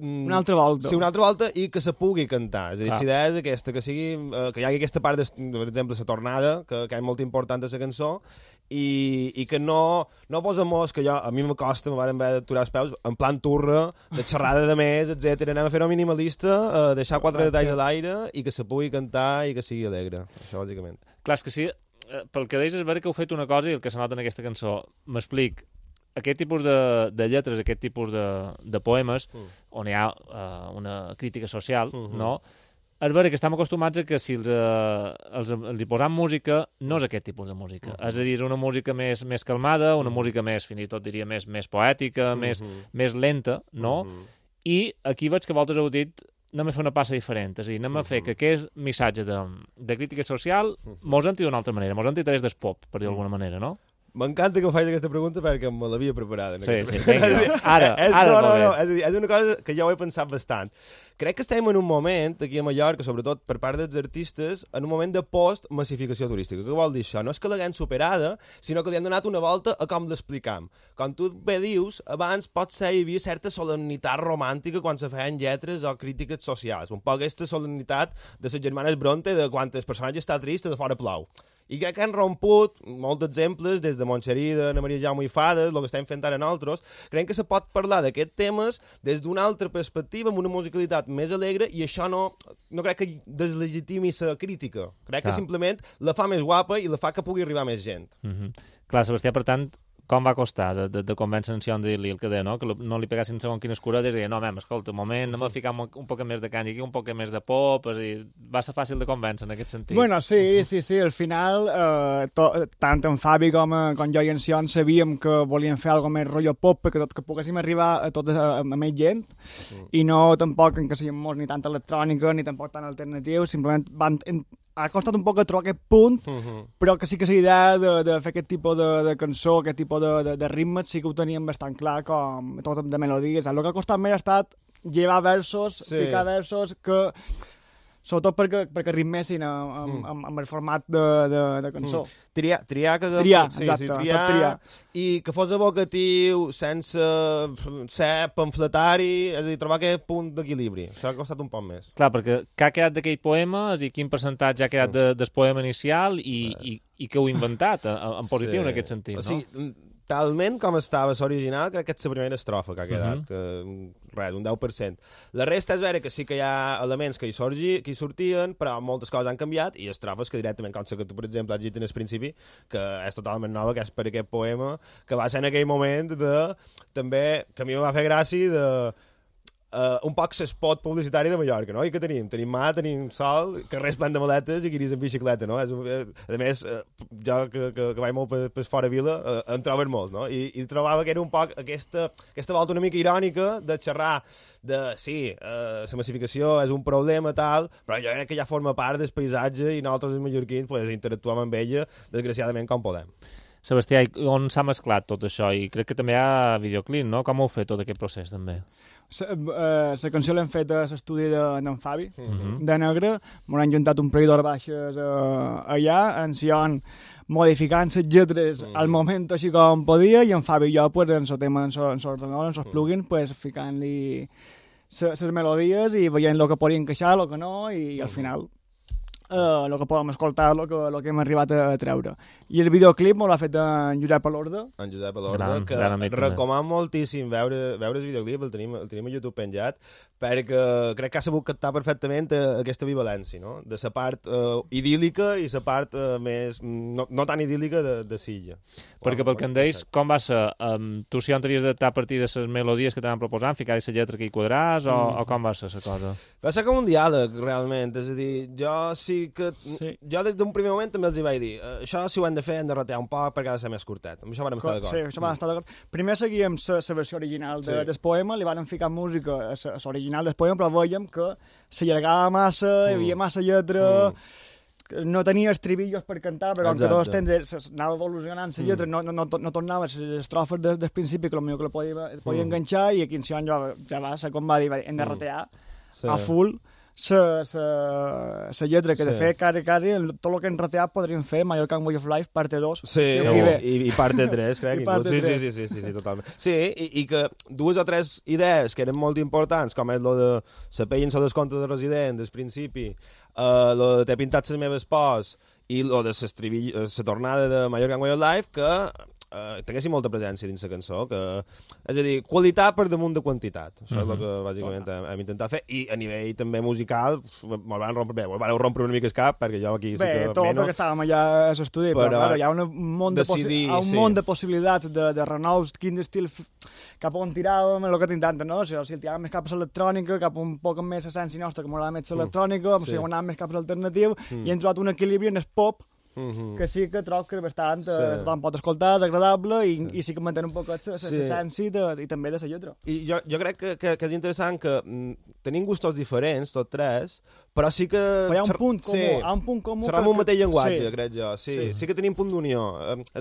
[SPEAKER 13] una altra volta.
[SPEAKER 14] Sí, una altra volta i que se pugui cantar. És a dir, la idea és aquesta, que hi hagi aquesta part, per exemple, la tornada, que és molt important a la cançó, i que no posem que a mi m'acosta, me van haver d'aturar els peus, en plan turra, de xerrada de més, etc. Anem a fer-ho minimalista, deixar 4 detalls a l'aire i que se pugui cantar i que sigui alegre. Això, bàsicament.
[SPEAKER 2] Clar, és que sí, pel que deies és vera que heu fet una cosa i el que se nota en aquesta cançó. M'explic. Aquest tipus de lletres, aquest tipus de poemes, on hi ha una crítica social, no? És vera que estem acostumats a que si els posam música, no és aquest tipus de música. És a dir, és una música més calmada, una música més, fins i tot diria, més poètica, més lenta, no? I aquí veig que vosaltres heu dit anem a fer una passa diferent, és a dir, anem a fer que aquest missatge de crítica social mos entri d'una altra manera, mos entri a través del pop, per dir d'alguna manera, no?
[SPEAKER 14] M'encanta que em facis aquesta pregunta perquè me l'havia preparada.
[SPEAKER 2] Sí, vinga, ara
[SPEAKER 14] no, és una cosa que jo ho he pensat bastant. Crec que estem en un moment, aquí a Mallorca, sobretot per part dels artistes, en un moment de post-massificació turística. Què vol dir això? No és que l'haguem superada, sinó que li hem donat una volta a com l'explicam. Com tu bé dius, abans potser hi havia certa solemnitat romàntica quan se feien lletres o crítiques socials. Un poc aquesta solemnitat de les germanes Bronte, de quan el personatge està trist i de fora plou. I crec que han romput molts exemples, des de Montxerí, d'Anna Maria Jaume i Fades, el que estem fent ara nosaltres. Crec que se pot parlar d'aquests temes des d'una altra perspectiva, amb una musicalitat més alegre, i això no crec que deslegitimi la crítica. Crec que simplement la fa més guapa i la fa que pugui arribar més gent.
[SPEAKER 2] Clar, Sebastià, per tant, com va costar de convèncer en Sion de dir-li el que deia, no? Que no li pegassin segons quines curetes i deia, no, escolta, un moment, anem a ficar un poc més de canya aquí, un poc més de pop, és a dir, va ser fàcil de convèncer en aquest sentit.
[SPEAKER 13] Bueno, sí, al final, tant en Fabi com jo i en Sion sabíem que volíem fer alguna més rotllo pop perquè que poguéssim arribar a més gent, i no tampoc en que siguem molts ni tant electrònica ni tampoc tan alternatius, simplement ha costat un poc a trobar aquest punt, però que sí que la idea de fer aquest tipus de cançó, aquest tipus de ritmes, sí que ho teníem bastant clar, com tot de melodies. El que ha costat més ha estat llevar versos, ficar versos que... Sobretot perquè ritmessin amb el format de cançó.
[SPEAKER 14] Triar,
[SPEAKER 13] exacte, triar.
[SPEAKER 14] I que fos evocatiu, sense ser pamfletari, és a dir, trobar aquest punt d'equilibri. Això ha costat un poc més.
[SPEAKER 2] Clar, perquè què ha quedat d'aquell poema, és a dir, quin percentatge ha quedat del poema inicial i que heu inventat, en positiu en aquest sentit, no?
[SPEAKER 14] O sigui, talment com estava l'original, crec que és la primera estrofa que ha quedat, res, un 10%. La resta és vera que sí que hi ha elements que hi sortien, però moltes coses han canviat, i estrofes que directament, com que tu, per exemple, has dit en el principi, que és totalment nova, que és per aquest poema, que va ser en aquell moment també, que a mi em va fer gràcia un poc l'espot publicitari de Mallorca, no? I què tenim? Tenim mar, tenim sol, carrers plens de maletes i guiris en bicicleta, no? A més, jo que vaig molt per fora vila, en troben molts, no? I trobava que era un poc aquesta volta una mica irònica de xerrar de, sí, la massificació és un problema, tal, però jo crec que ja forma part del paisatge i nosaltres, els mallorquins, interactuem amb ella, desgraciadament, com podem.
[SPEAKER 2] Sebastià, on s'ha mesclat tot això? I crec que també hi ha videoclip, no? Com heu fet tot aquest procés, també?
[SPEAKER 13] La cançó l'hem fet a l'estudi d'en Fabi, de Negre. M'ho han juntat un parell d'hores baixes allà, en Sion modificant les lletres al moment així com podia, i en Fabi i jo, pues, en el tema, en l'ordenador, en els plugins, pues, ficant-li les melodies i veient el que podia encaixar, el que no, i al final el que podem escoltar, el que hem arribat a treure. I el videoclip m'ho l'ha fet en Josep Alorda.
[SPEAKER 14] En Josep Alorda, que recomano moltíssim veure el videoclip, el tenim a YouTube penjat, perquè crec que ha sabut captar perfectament aquesta bivalència, no? De la part idíl·lica i la part més no tan idíl·lica de Silla.
[SPEAKER 2] Perquè pel que em deis, com va ser? Tu si entraries d'adaptar a partir de les melodies que t'han proposant, ficar-hi la lletra que hi quadràs, o com va ser la cosa?
[SPEAKER 14] Va ser com un diàleg, realment. És a dir, jo jo des d'un primer moment també els hi vaig dir això si ho hem de fer, hem de ratear un poc perquè ha de ser més curtet. Amb això vam estar d'acord.
[SPEAKER 13] Sí, això vam estar d'acord. Primer seguíem la versió original del poema, li van ficar música a l'original del poema, però veiem que s'allargava massa, hi havia massa lletra, no tenia estribillos per cantar, però com que tots temps anava evolucionant la lletra, no tornava a les estrofes del principi, que potser que la podia enganxar, i aquí en Sion ja va ser com va dir, hem de ratear a full la lletra, que de fet quasi tot el que hem rateat podríem fer Mallorca Way of Life parte 2
[SPEAKER 14] i parte 3, crec. Sí, totalment. Sí, i que dues o tres idees que eren molt importants, com és lo de la pell en el descompte de resident del principi, lo de t'he pintat les meves pors i lo de la tornada de Mallorca Way of Life, que tinguessin molta presència dins la cançó, és a dir, qualitat per damunt de quantitat. Això és el que bàsicament hem intentat fer, i a nivell també musical me'l van rompre una mica el cap, perquè jo aquí
[SPEAKER 13] perquè estàvem allà a l'estudi, però hi ha un munt de possibilitats de renous, quin estil cap on tiràvem, el que t'intenten, no? Si el tiràvem més cap a l'electrònica, cap un poc més essència nostra, que m'agrada més l'electrònica, si anàvem més cap a l'alternatiu, i hem trobat un equilibri en el pop, que sí que trobo que bastant pot escoltar, és agradable, i sí que mantén un poc l'essència i també de la lletra.
[SPEAKER 14] I jo crec que és interessant que tenim gustos diferents, tots tres, però sí que...
[SPEAKER 13] Però hi ha un punt comú.
[SPEAKER 14] Serem un mateix llenguatge, crec jo. Sí que tenim punt d'unió.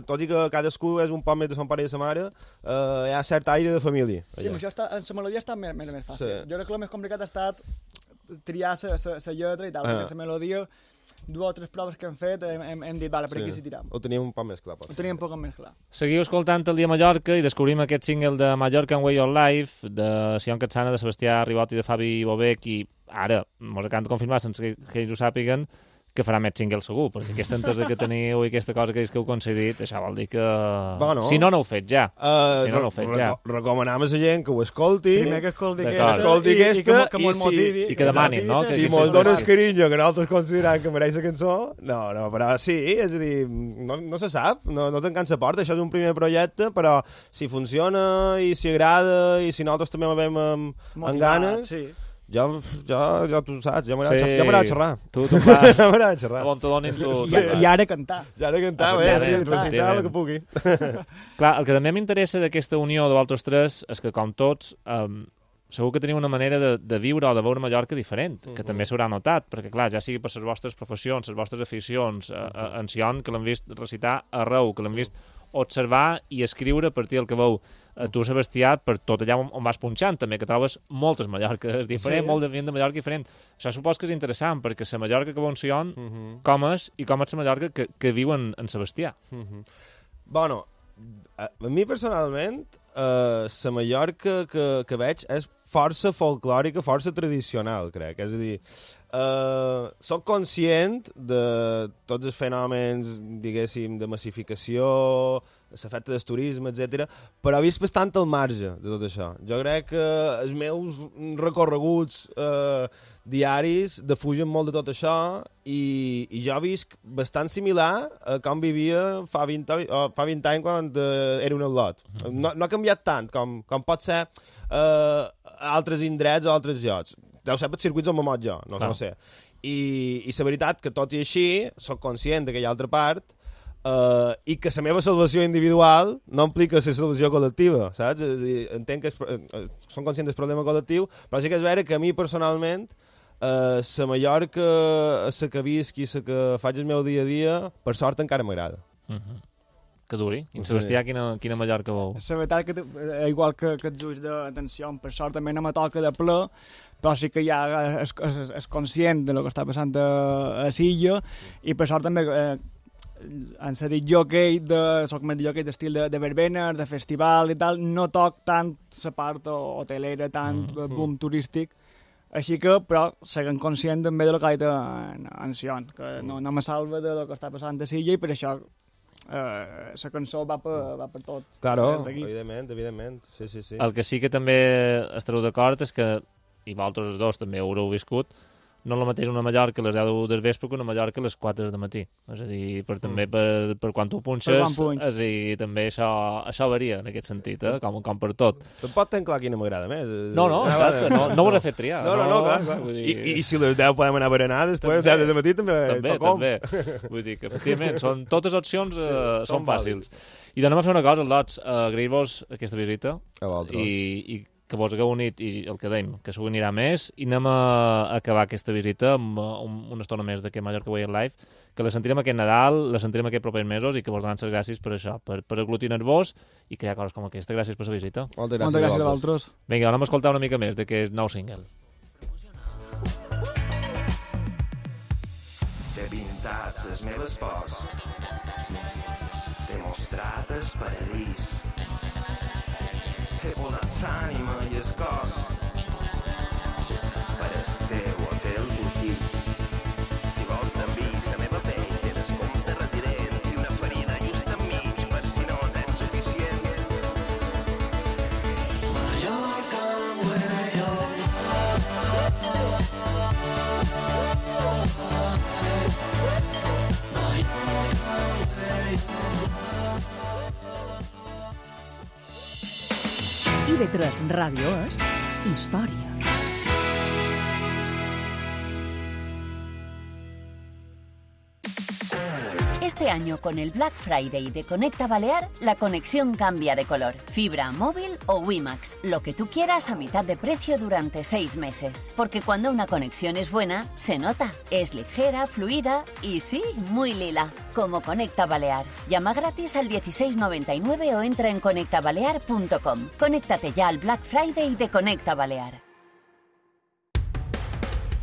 [SPEAKER 14] Tot i que cadascú és un poc més de son pare i de sa mare, hi ha cert aire de família.
[SPEAKER 13] Sí, això en la melodia està més fàcil. Jo crec que el més complicat ha estat triar la lletra i tal, perquè la melodia... 2 o 3 proves que hem fet, hem dit, vale, per aquí s'hi tiram.
[SPEAKER 14] Ho teníem un poc més clar.
[SPEAKER 13] Ho teníem un poc més clar.
[SPEAKER 2] Seguiu escoltant El Dia Mallorca i descobrim aquest single de Mallorca Way of Life, de Sion Catsana, de Sebastià Ribot i de Fabi Bobec, i ara mos acabem de confirmar, sense que ells ho sàpiguen, que farà més single segur, perquè aquesta entesa que teniu i aquesta cosa que heu aconseguit, això vol dir que...
[SPEAKER 14] Bueno,
[SPEAKER 2] si no ho fet ja.
[SPEAKER 14] Recomanem a la gent que ho escolti.
[SPEAKER 13] Primer que escolti
[SPEAKER 14] aquesta
[SPEAKER 2] i que demanin, no?
[SPEAKER 14] Si mos dones carinyo que nosaltres considerem que mereix la cançó, no, però sí, és a dir, no se sap, no tancant la porta, això és un primer projecte, però si funciona i si agrada i si nosaltres també ho veiem amb ganes... Ja tu saps, ja m'agrada xerrar.
[SPEAKER 2] Tu fas.
[SPEAKER 14] Ja m'agrada xerrar.
[SPEAKER 2] On te donin tu...
[SPEAKER 13] I ara cantar.
[SPEAKER 14] Recitar el que pugui.
[SPEAKER 2] Clar, el que també m'interessa d'aquesta unió de vosaltres tres és que, com tots, segur que teniu una manera de viure o de veure Mallorca diferent, que també s'haurà notat, perquè, clar, ja sigui per les vostres professions, les vostres aficions, en Sion, que l'han vist recitar arreu, que l'han vist observar i escriure a partir del que veu tu, Sebastià, per tot allà on vas punxant, també, que trobes moltes Mallorques diferents, molt de gent de Mallorca diferent. Això supos que és interessant, perquè la Mallorca que veu en Sion, com és, i com és la Mallorca que viu en Sebastià.
[SPEAKER 14] Bueno, a mi personalment, la Mallorca que veig és força folclòrica, força tradicional, crec. És a dir, soc conscient de tots els fenòmens, diguéssim, de massificació, l'efecte del turisme, etc. però he vist bastant al marge de tot això. Jo crec que els meus recorreguts diaris defugen molt de tot això i jo visc bastant similar a com vivia fa 20 anys quan era un al·lot. No ha canviat tant com pot ser altres indrets o altres llocs. Deu ser per circuits on me mot jo, no sé. I la veritat que tot i així soc conscient d'aquella altra part i que la meva salvació individual no implica la salvació col·lectiva, saps? És a dir, entenc que som conscients del problema col·lectiu, però sí que és vera que a mi personalment la Mallorca, la que visc i la que faig el meu dia a dia, per sort encara m'agrada.
[SPEAKER 2] Que duri. I Sebastià, quina Mallorca veu?
[SPEAKER 13] La veritat que, igual que els ulls d'atenció, per sort també no me toca de ple, però sí que ja és conscient de lo que està passant a Silla, i per sort també en ser dit jockey, soc més jockey d'estil de verbener, de festival i tal, no toc tant la part hotelera, tant boom turístic, així que, però, seguim conscient també de lo que ha dit en Sion, que no me salva de lo que està passant a Silla, i per això la cançó va per tot.
[SPEAKER 14] Claro, evidentment. Sí.
[SPEAKER 2] El que sí que també estareu d'acord és que, i vosaltres els dos també ho haureu viscut, no és el mateix una Mallorca a les 10 del vespre que una Mallorca a les 4 del matí. És a dir, també per quan tu punxes, és a dir, també això varia en aquest sentit, com per tot.
[SPEAKER 14] Tampoc tenc clar quina m'agrada més.
[SPEAKER 2] No, no us he fet triar.
[SPEAKER 14] No, clar. I si les 10 podem anar a berenar, després 10 del matí també.
[SPEAKER 2] Vull dir que, efectivament, totes opcions són fàcils. I anem a fer una cosa, Lots, agrair-vos aquesta visita.
[SPEAKER 14] A vosaltres.
[SPEAKER 2] I que vos hagueu unit, i el que dèiem, que s'ho anirà més, i anem a acabar aquesta visita amb una estona més d'aquest Mallorca Way in Life, que la sentirem aquest Nadal, la sentirem aquests propers mesos, i que vos donem les gràcies per això, per aglutinar-vos i crear coses com aquesta. Gràcies per la visita.
[SPEAKER 14] Moltes gràcies a vosaltres.
[SPEAKER 2] Vinga, anem a escoltar una mica més d'aquest nou single.
[SPEAKER 11] T'he pintat les meves pors, t'he mostrat el paradís, he posat l'ànima i el cos per el teu hotel butic. Si vols t'enviïs la meva pell, té descompte resident i una ferida just enmig per si no tens suficient.
[SPEAKER 12] Mallorca, way of
[SPEAKER 6] IB3 Ràdio és història.
[SPEAKER 1] Este año, con el Black Friday de Conecta Balear, la conexión cambia de color. Fibra, móvil o WiMAX, lo que tú quieras a mitad de precio durante 6 meses. Porque cuando una conexión es buena, se nota. Es ligera, fluida y sí, muy lila. Como Conecta Balear. Llama gratis al 1699 o entra en conectabalear.com. Conéctate ya al Black Friday de Conecta Balear.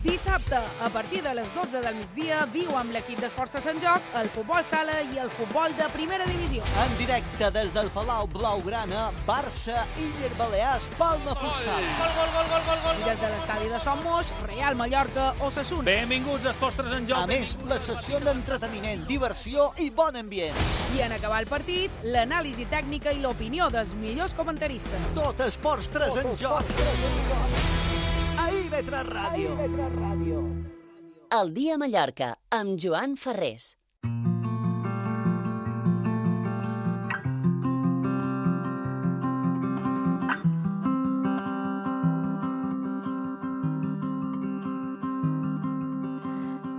[SPEAKER 15] Dissabte, a partir de les 12 del migdia, viu amb l'equip d'Esports de Sant Joc el futbol sala i el futbol de primera divisió.
[SPEAKER 16] En directe des del Palau Blaugrana, Barça, Iller Balears, Palma Futsal.
[SPEAKER 15] Gol. I des de l'estadi de Son Moix, Real Mallorca, Osasuna.
[SPEAKER 16] Benvinguts a Esports de Sant Joc. A més, la secció d'entreteniment, diversió i bon ambient.
[SPEAKER 15] I en acabar el partit, l'anàlisi tècnica i l'opinió dels millors comentaristes.
[SPEAKER 16] Tot Esports 3 en Joc. A IB3 Ràdio.
[SPEAKER 1] El dia a Mallorca, amb Joan Ferrés.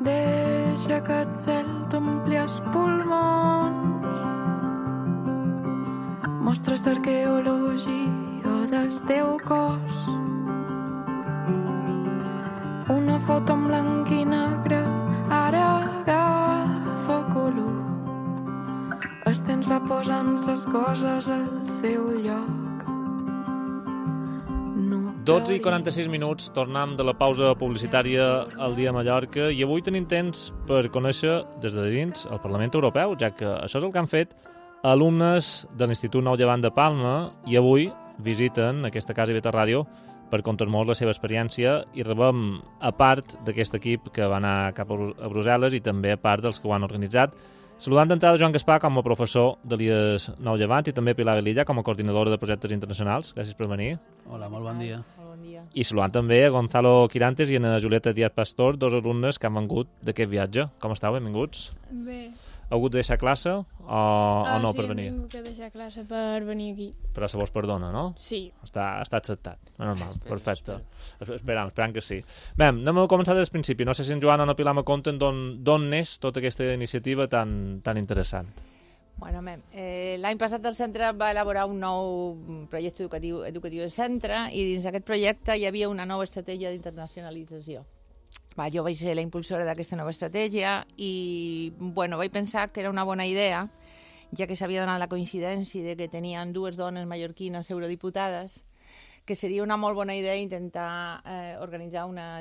[SPEAKER 17] Deixa que el cel t'ompli els pulmons. Mostres d'arqueologia del teu cos. Una foto en blanc i negre ara agafa color. El temps va posant les coses al seu lloc.
[SPEAKER 2] 12 i 46 minuts, tornem de la pausa publicitària al dia a Mallorca i avui tenim temps per conèixer des de dins el Parlament Europeu, ja que això és el que han fet alumnes de l'Institut Nou Llevant de Palma i avui visiten aquesta casa IB3 Ràdio per contar-nos la seva experiència i rebem a part d'aquest equip que va anar cap a Brussel·les i també a part dels que ho han organitzat. Saludant d'entrada Joan Gaspar com a professor de l'IES Nou Llevant i també Pilar Velilla com a coordinadora de projectes internacionals. Gràcies per venir.
[SPEAKER 18] Hola, molt bon dia.
[SPEAKER 2] I saludant també a Gonzalo Quirantes i a Julieta Díaz Pastor, dos alumnes que han vengut d'aquest viatge. Com estàu? Benvinguts.
[SPEAKER 19] Bé.
[SPEAKER 2] Heu hagut de deixar classe o no per venir?
[SPEAKER 19] Sí, hem hagut de deixar classe per venir aquí.
[SPEAKER 2] Però se vos perdona, no?
[SPEAKER 19] Sí.
[SPEAKER 2] Està acceptat. Normal, perfecte. Esperant que sí. Bé, anem a començar des del principi. No sé si en Joan o en Pilar me conten d'on neix tota aquesta iniciativa tan interessant.
[SPEAKER 20] Bueno, l'any passat el centre va elaborar un nou projecte educatiu del centre i dins d'aquest projecte hi havia una nova estratègia d'internacionalització. Jo vaig ser la impulsora d'aquesta nova estratègia i vaig pensar que era una bona idea, ja que s'havia donat la coincidència de que tenien dues dones mallorquines eurodiputades, que seria una molt bona idea intentar organitzar una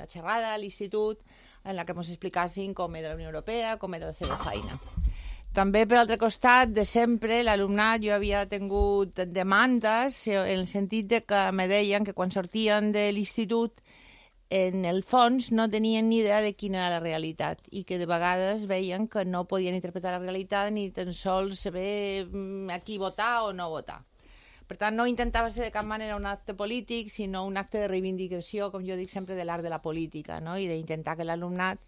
[SPEAKER 20] xerrada a l'institut en la que ens explicassin com era la Unió Europea, com era la seva feina. També, per altre costat, de sempre, l'alumnat, jo havia tingut demandes en el sentit de que me deien que quan sortien de l'institut en el fons no tenien ni idea de quina era la realitat i que de vegades veien que no podien interpretar la realitat ni tan sols saber a qui votar o no votar. Per tant, no intentava ser de cap manera un acte polític, sinó un acte de reivindicació, com jo dic sempre, de l'art de la política, no? I d'intentar que l'alumnat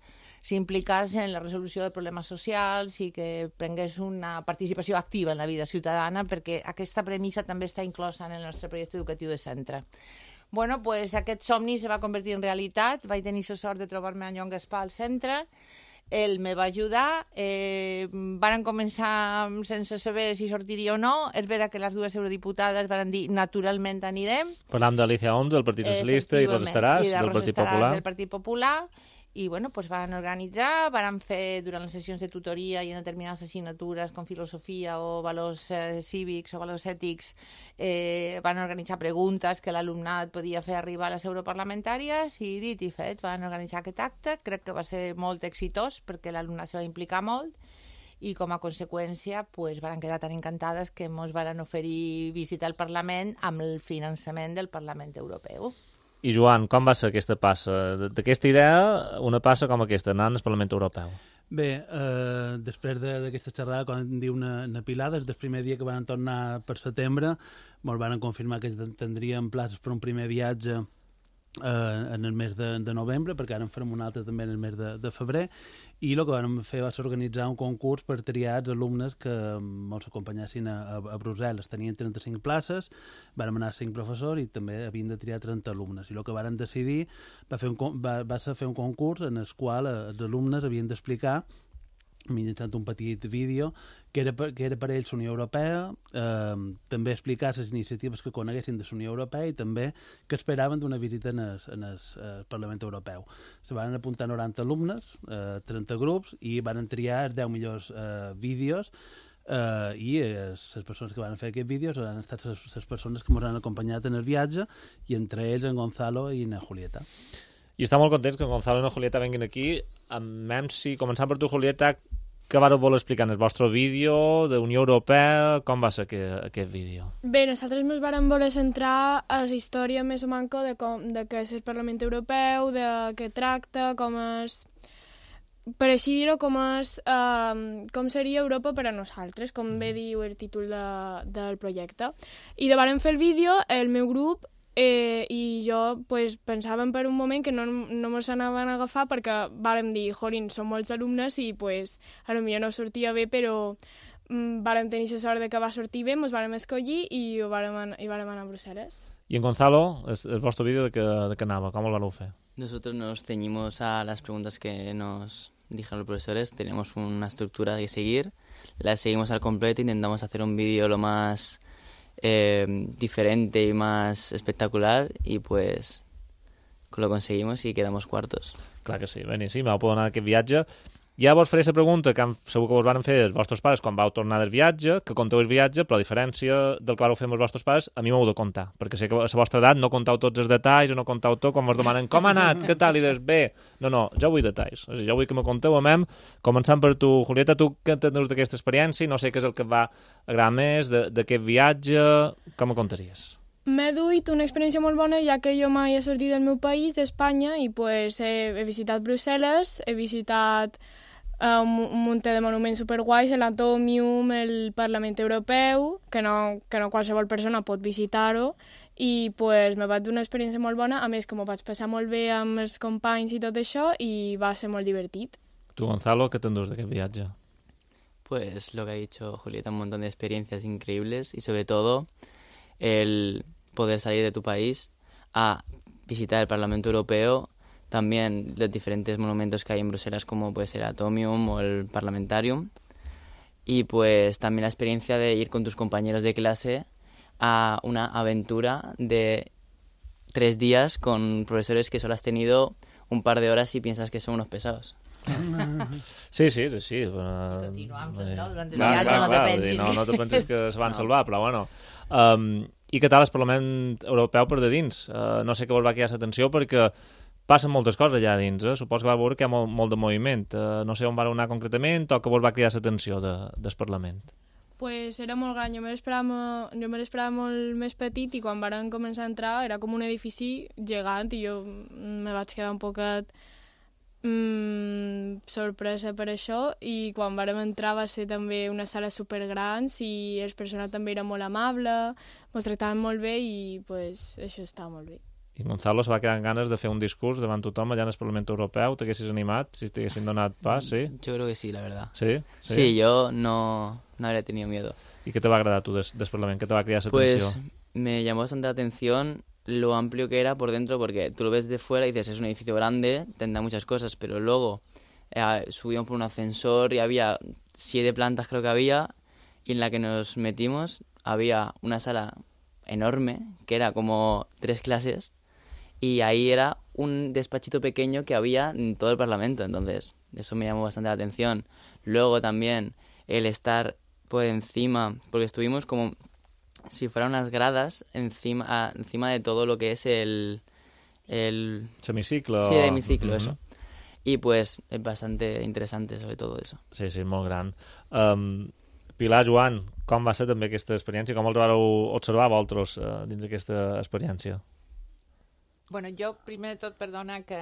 [SPEAKER 20] s'implicés en la resolució de problemes socials i que prengués una participació activa en la vida ciutadana, perquè aquesta premissa també està inclosa en el nostre projecte educatiu de centre. Bueno, pues aquest somni se va convertir en realitat. Vaig tenir la sort de trobar-me en Joan Gaspar al centre. Ell me va ajudar. Varen començar sense saber si sortiria o no. És vera que les dues eurodiputades van dir naturalment anirem.
[SPEAKER 2] Parlam d'Alicia Oms, del Partit Socialista, i Rosa Estaràs, del Partit Popular.
[SPEAKER 20] Del Partit Popular. I bueno, pues van organitzar, van fer durant les sessions de tutoria i en determinades assignatures com filosofia o valors cívics o valors ètics, van organitzar preguntes que l'alumnat podia fer arribar a les europarlamentàries i dit i fet, van organitzar aquest acte. Crec que va ser molt exitós perquè l'alumnat se va implicar molt i com a conseqüència pues, van quedar tan encantades que ens van oferir visitar el Parlament amb el finançament del Parlament Europeu.
[SPEAKER 2] I Joan, com va ser aquesta passa? D'aquesta idea, una passa com aquesta, anant al Parlament Europeu.
[SPEAKER 18] Bé, després d'aquesta xerrada, quan diu una Pilar, des del primer dia que van tornar per setembre, ens van confirmar que tindríem places per un primer viatge en el mes de novembre, perquè ara en farem un altre també en el mes de febrer, i el que vam fer va ser organitzar un concurs per triar els alumnes que ens acompanyessin a Brussel·les. Tenien 35 places, vam anar 5 professors i també havien de triar 30 alumnes. I el que varen decidir va ser fer un concurs en el qual els alumnes havien d'explicar mitjançant un petit vídeo que era per ells la Unió Europea, també explicar les iniciatives que coneguessin de la Unió Europea i també que esperaven d'una visita en el Parlament Europeu. Se van apuntar 90 alumnes, 30 grups, i van triar els 10 millors vídeos i les persones que van fer aquests vídeos han estat les persones que ens han acompanyat en el viatge i entre ells en Gonzalo i en Julieta.
[SPEAKER 2] I està molt contents que en Gonzalo i en Julieta venguin aquí. Començant per tu, Julieta, què vareu voler explicar en el vostre vídeo de Unió Europea? Com va ser aquest vídeo?
[SPEAKER 19] Bé, nosaltres ens vam voler centrar a la història més o manco de què és el Parlament Europeu, de què tracta, com és... Per així dir-ho, com seria Europa per a nosaltres, com bé diu el títol del projecte. I de varen fer el vídeo, el meu grup i jo pues, pensàvem per un moment que no ens anaven a agafar perquè vàrem dir, jorin, som molts alumnes i pues, potser no sortia bé, però vàrem tenir la sort de que va sortir bé, ens vàrem escollir i vàrem anar a Brussel·les.
[SPEAKER 2] I en Gonzalo, el vostre vídeo de què anava? Com el vau fer?
[SPEAKER 21] Nosotros nos ceñimos a las preguntas que nos dijeron los profesores, tenemos una estructura que seguir, la seguimos al completo, intentamos hacer un vídeo lo más diferente y más espectacular y pues lo conseguimos y quedamos cuartos.
[SPEAKER 2] Clar que sí, beníssim, vau poder anar a aquest viatge. Ja vos faré la pregunta que segur que vos van fer els vostres pares quan vau tornar del viatge, que conteu el viatge, però a diferència del que vau fer amb els vostres pares, a mi m'heu de contar, perquè sé que a la vostra edat no contau tots els detalls o no contau tot quan vos demanen com ha anat, què tal, i des bé. No, jo vull detalls. O sigui, jo vull que me conteu a mem, començant per tu, Julieta, tu què entens d'aquesta experiència i no sé què és el que et va agradar més d'aquest viatge, com me contaries?
[SPEAKER 19] M'he duit una experiència molt bona, ja que jo mai he sortit del meu país, d'Espanya, i pues, he visitat Brussel·les, he visitat un munt de monuments superguais, l'Atomium, el Parlament Europeu, que no qualsevol persona pot visitar-ho, i pues, me va donar una experiència molt bona, a més que m'ho vaig passar molt bé amb els companys i tot això, i va ser molt divertit.
[SPEAKER 2] Tu, Gonzalo, què t'endús d'aquest viatge?
[SPEAKER 21] Pues lo que ha dicho Julieta, un montón de experiencias increíbles y sobre todo el poder salir de tu país a visitar el Parlamento Europeo, también los diferentes monumentos que hay en Bruselas como puede ser el Atomium o el Parlamentarium, y pues también la experiencia de ir con tus compañeros de clase a una aventura de 3 días con profesores que solo has tenido un par de horas y piensas que son unos pesados.
[SPEAKER 2] Sí.
[SPEAKER 20] Continuam, durant el viatge, no te pensis.
[SPEAKER 2] No te pensis que se van salvar, però bueno. I què tal el Parlament Europeu per de dins? No sé què vos va cridar l'atenció perquè passen moltes coses allà dins, suposo que va veure que hi ha molt de moviment. No sé on va anar concretament o què vos va cridar l'atenció del Parlament.
[SPEAKER 19] Pues era molt gran, jo me l'esperava molt més petit i quan varen començar a entrar era com un edifici gegant i jo me vaig quedar un poquet sorpresa per això i quan vàrem entrar va ser també una sala supergrans i el personal també era molt amable, ens tractaven molt bé i pues, això estava molt bé.
[SPEAKER 2] I Gonzalo se va quedar amb ganes de fer un discurs davant tothom allà en el Parlament Europeu. T'haguessis animat si t'haguessin donat pas, sí?
[SPEAKER 21] Yo creo que sí, la verdad.
[SPEAKER 2] ¿Sí?
[SPEAKER 21] Sí, yo no habría tenido miedo.
[SPEAKER 2] ¿Y qué te va a agradar tú del Parlamento? ¿Qué te va a crear esa
[SPEAKER 21] pues,
[SPEAKER 2] tensión?
[SPEAKER 21] Me llamó bastante la atención lo amplio que era por dentro, porque tú lo ves de fuera y dices, es un edificio grande, tendrá muchas cosas, pero luego subíamos por un ascensor y había 7 plantas creo que había, y en la que nos metimos había una sala enorme, que era como 3 clases, y ahí era un despachito pequeño que había en todo el Parlamento, entonces eso me llamó bastante la atención. Luego también el estar por encima, porque estuvimos como si fueran unas gradas encima de todo lo que es el
[SPEAKER 2] semiciclo.
[SPEAKER 21] Sí, el hemiciclo, eso. Y pues es bastante interesante sobre todo eso.
[SPEAKER 2] Sí, molt gran. Pilar, Joan, com va ser també aquesta experiència? Com els vareu observar vosaltres dins d'aquesta experiència?
[SPEAKER 20] Bueno, jo, primer de tot, perdona, que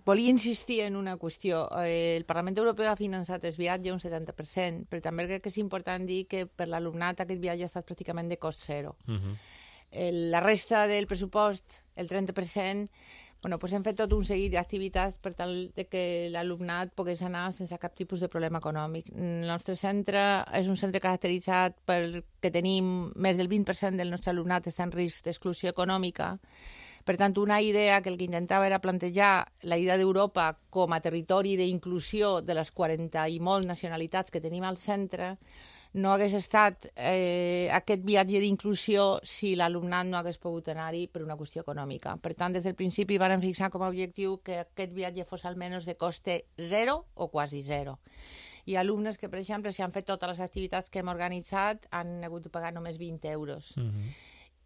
[SPEAKER 20] volia insistir en una qüestió. El Parlament Europeu ha finançat el viatge un 70%, però també crec que és important dir que per l'alumnat aquest viatge ha estat pràcticament de cost zero. La resta del pressupost, el 30%, bueno, pues hem fet tot un seguit d'activitats per tal de que l'alumnat pogués anar sense cap tipus de problema econòmic. El nostre centre és un centre caracteritzat perquè tenim més del 20% del nostre alumnat està en risc d'exclusió econòmica. Per tant, una idea que el que intentava era plantejar la idea d'Europa com a territori d'inclusió de les 40 i molt nacionalitats que tenim al centre, no hagués estat aquest viatge d'inclusió si l'alumnat no hagués pogut anar-hi per una qüestió econòmica. Per tant, des del principi van fixar com a objectiu que aquest viatge fos almenys de coste zero o quasi zero. Hi ha alumnes que, per exemple, si han fet totes les activitats que hem organitzat, han hagut de pagar només 20 euros.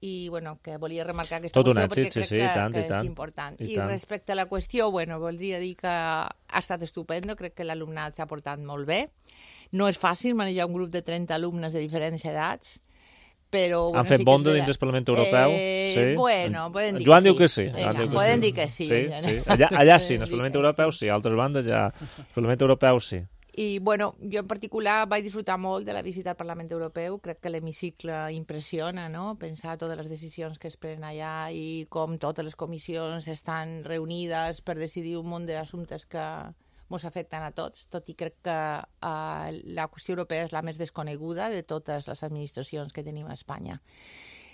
[SPEAKER 20] I, bueno, que volia remarcar aquesta qüestió perquè crec que és important. I respecte a la qüestió, bueno, voldria dir que ha estat estupendo, crec que l'alumnat s'ha portat molt bé. No és fàcil manejar un grup de 30 alumnes de diferents edats, però...
[SPEAKER 2] Han fet bonda dins del Parlament Europeu? Sí?
[SPEAKER 20] Bueno, poden dir que sí.
[SPEAKER 2] Joan diu que sí.
[SPEAKER 20] Poden dir que sí.
[SPEAKER 2] Allà sí, en el Parlament Europeu sí, a altres bandes ja... El Parlament Europeu sí.
[SPEAKER 20] I, bueno, jo en particular vaig disfrutar molt de la visita al Parlament Europeu. Crec que l'hemicicle impressiona, no? Pensar totes les decisions que es prenen allà i com totes les comissions estan reunides per decidir un munt d'assumptes que ens afecten a tots, tot i crec que la qüestió europea és la més desconeguda de totes les administracions que tenim a Espanya.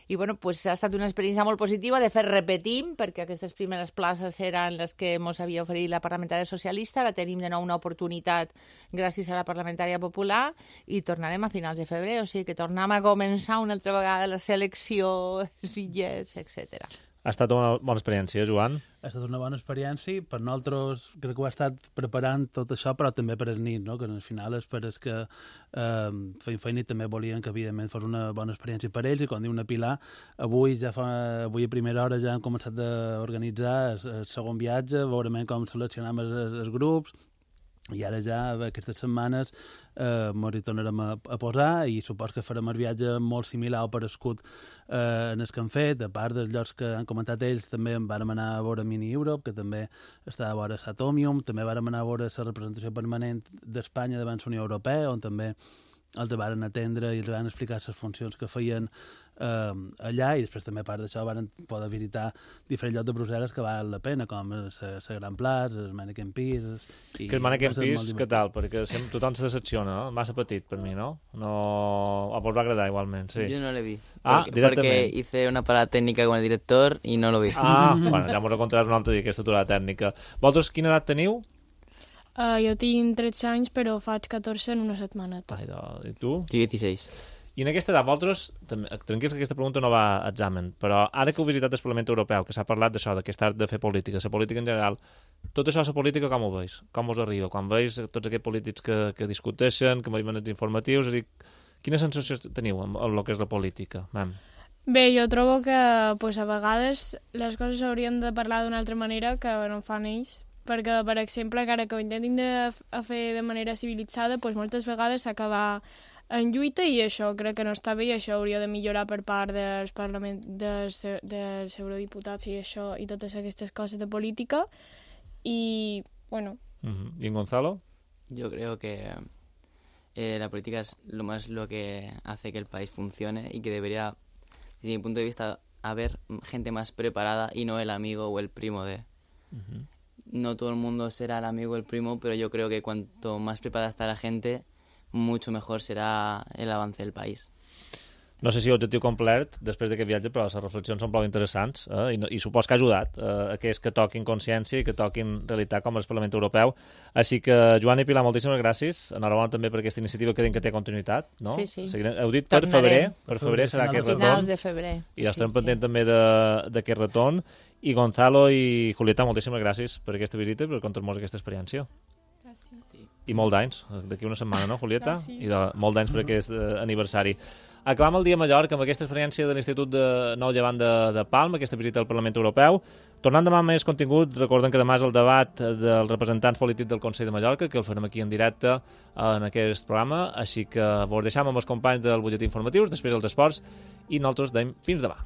[SPEAKER 20] I bueno, pues ha estat una experiència molt positiva, de fet repetim, perquè aquestes primeres places eren les que ens havia oferit la parlamentària socialista, ara tenim de nou una oportunitat gràcies a la parlamentària popular i tornarem a finals de febrer, o sigui que tornem a començar una altra vegada la selecció, els bitllets, etc.
[SPEAKER 2] Ha estat una bona experiència, Joan?
[SPEAKER 18] Ha estat una bona experiència. Per nosaltres crec que ho ha estat preparant tot això, però també per el nit, no? Que al final és per els que feien feina i també volien que evidentment fos una bona experiència per ells. I com diu una Pilar, avui a primera hora ja hem començat a organitzar el segon viatge, veurem com seleccionem els grups, i ara ja aquestes setmanes ens hi tornarem a posar i supos que farem el viatge molt similar o parescut en el que han fet. A part dels llocs que han comentat ells, també vam anar a veure Mini Europe, que també està a veure Satomium, també vam anar a veure la representació permanent d'Espanya davant la Unió Europea, on també els van atendre i els van explicar les funcions que feien allà, i després també a part d'això van poder visitar diferents llocs de Brussel·les que val la pena, com la Gran Plaça, el Mannequin Peace...
[SPEAKER 2] Que el Mannequin Peace, què tal? Perquè tothom se decepciona, no? Massa petit per mi, no? Vos va agradar igualment, sí.
[SPEAKER 21] Yo no le vi.
[SPEAKER 2] Directamente.
[SPEAKER 21] Porque hice una parada técnica con el director y no lo vi.
[SPEAKER 2] Bueno, ja m'ho contaràs un altre dia, aquesta aturada tècnica. Vosaltres quina edat teniu?
[SPEAKER 19] Jo tinc 13 anys, però faig 14 en una setmaneta.
[SPEAKER 2] I tu?
[SPEAKER 21] Jo 16.
[SPEAKER 2] I en aquesta edat, vosaltres, tranquils que aquesta pregunta no va a examen, però ara que heu visitat el Parlament Europeu, que s'ha parlat d'això, d'aquest art de fer política, la política en general, tot això, la política, com ho veus? Com us arriba? Quan veus tots aquests polítics que discuteixen, que m'adimen els informatius, és a dir, quina sensació teniu amb el que és la política?
[SPEAKER 19] Bé, jo trobo que a vegades les coses s'haurien de parlar d'una altra manera que no fan ells, perquè, per exemple, encara que ho intentin a fer de manera civilitzada, doncs moltes vegades s'acaba en lluita i això crec que no està bé i això hauria de millorar per part dels eurodiputats i això i totes aquestes coses de política y bueno.
[SPEAKER 2] ¿Y en Gonzalo?
[SPEAKER 21] Yo creo que la política es lo que hace que el país funcione y que debería, desde mi punto de vista, haber gente más preparada y no el amigo o el primo de. No todo el mundo será el amigo o el primo, pero yo creo que cuanto más preparada está la gente, mucho mejor será el avance del país.
[SPEAKER 2] No sé si objectiu complet després d'aquest viatge, però les reflexions són prou interessants i supos que ha ajudat a que toquin consciència i que toquin realitat com el Parlament Europeu. Així que, Joan i Pilar, moltíssimes gràcies. Enhorabona també per aquesta iniciativa que té continuïtat, no?
[SPEAKER 20] Sí.
[SPEAKER 2] Heu dit per febrer serà aquest retorn.
[SPEAKER 20] Finals de febrer.
[SPEAKER 2] I estem pendents també d'aquest retorn. I Gonzalo i Julieta, moltíssimes gràcies per aquesta visita i per contar-nos aquesta experiència.
[SPEAKER 19] Gràcies.
[SPEAKER 2] I molt d'anys, d'aquí una setmana, no, Julieta?
[SPEAKER 19] Gràcies.
[SPEAKER 2] I molt d'anys per aquest aniversari. Acabam el dia a Mallorca amb aquesta experiència de l'Institut de Nou Llevant de Palma, aquesta visita al Parlament Europeu. Tornant demà amb més contingut, recorden que demà és el debat dels representants polítics del Consell de Mallorca, que el farem aquí en directe en aquest programa, així que vos deixam amb els companys del butlletí informatius, després els esports, i nosaltres deim fins demà.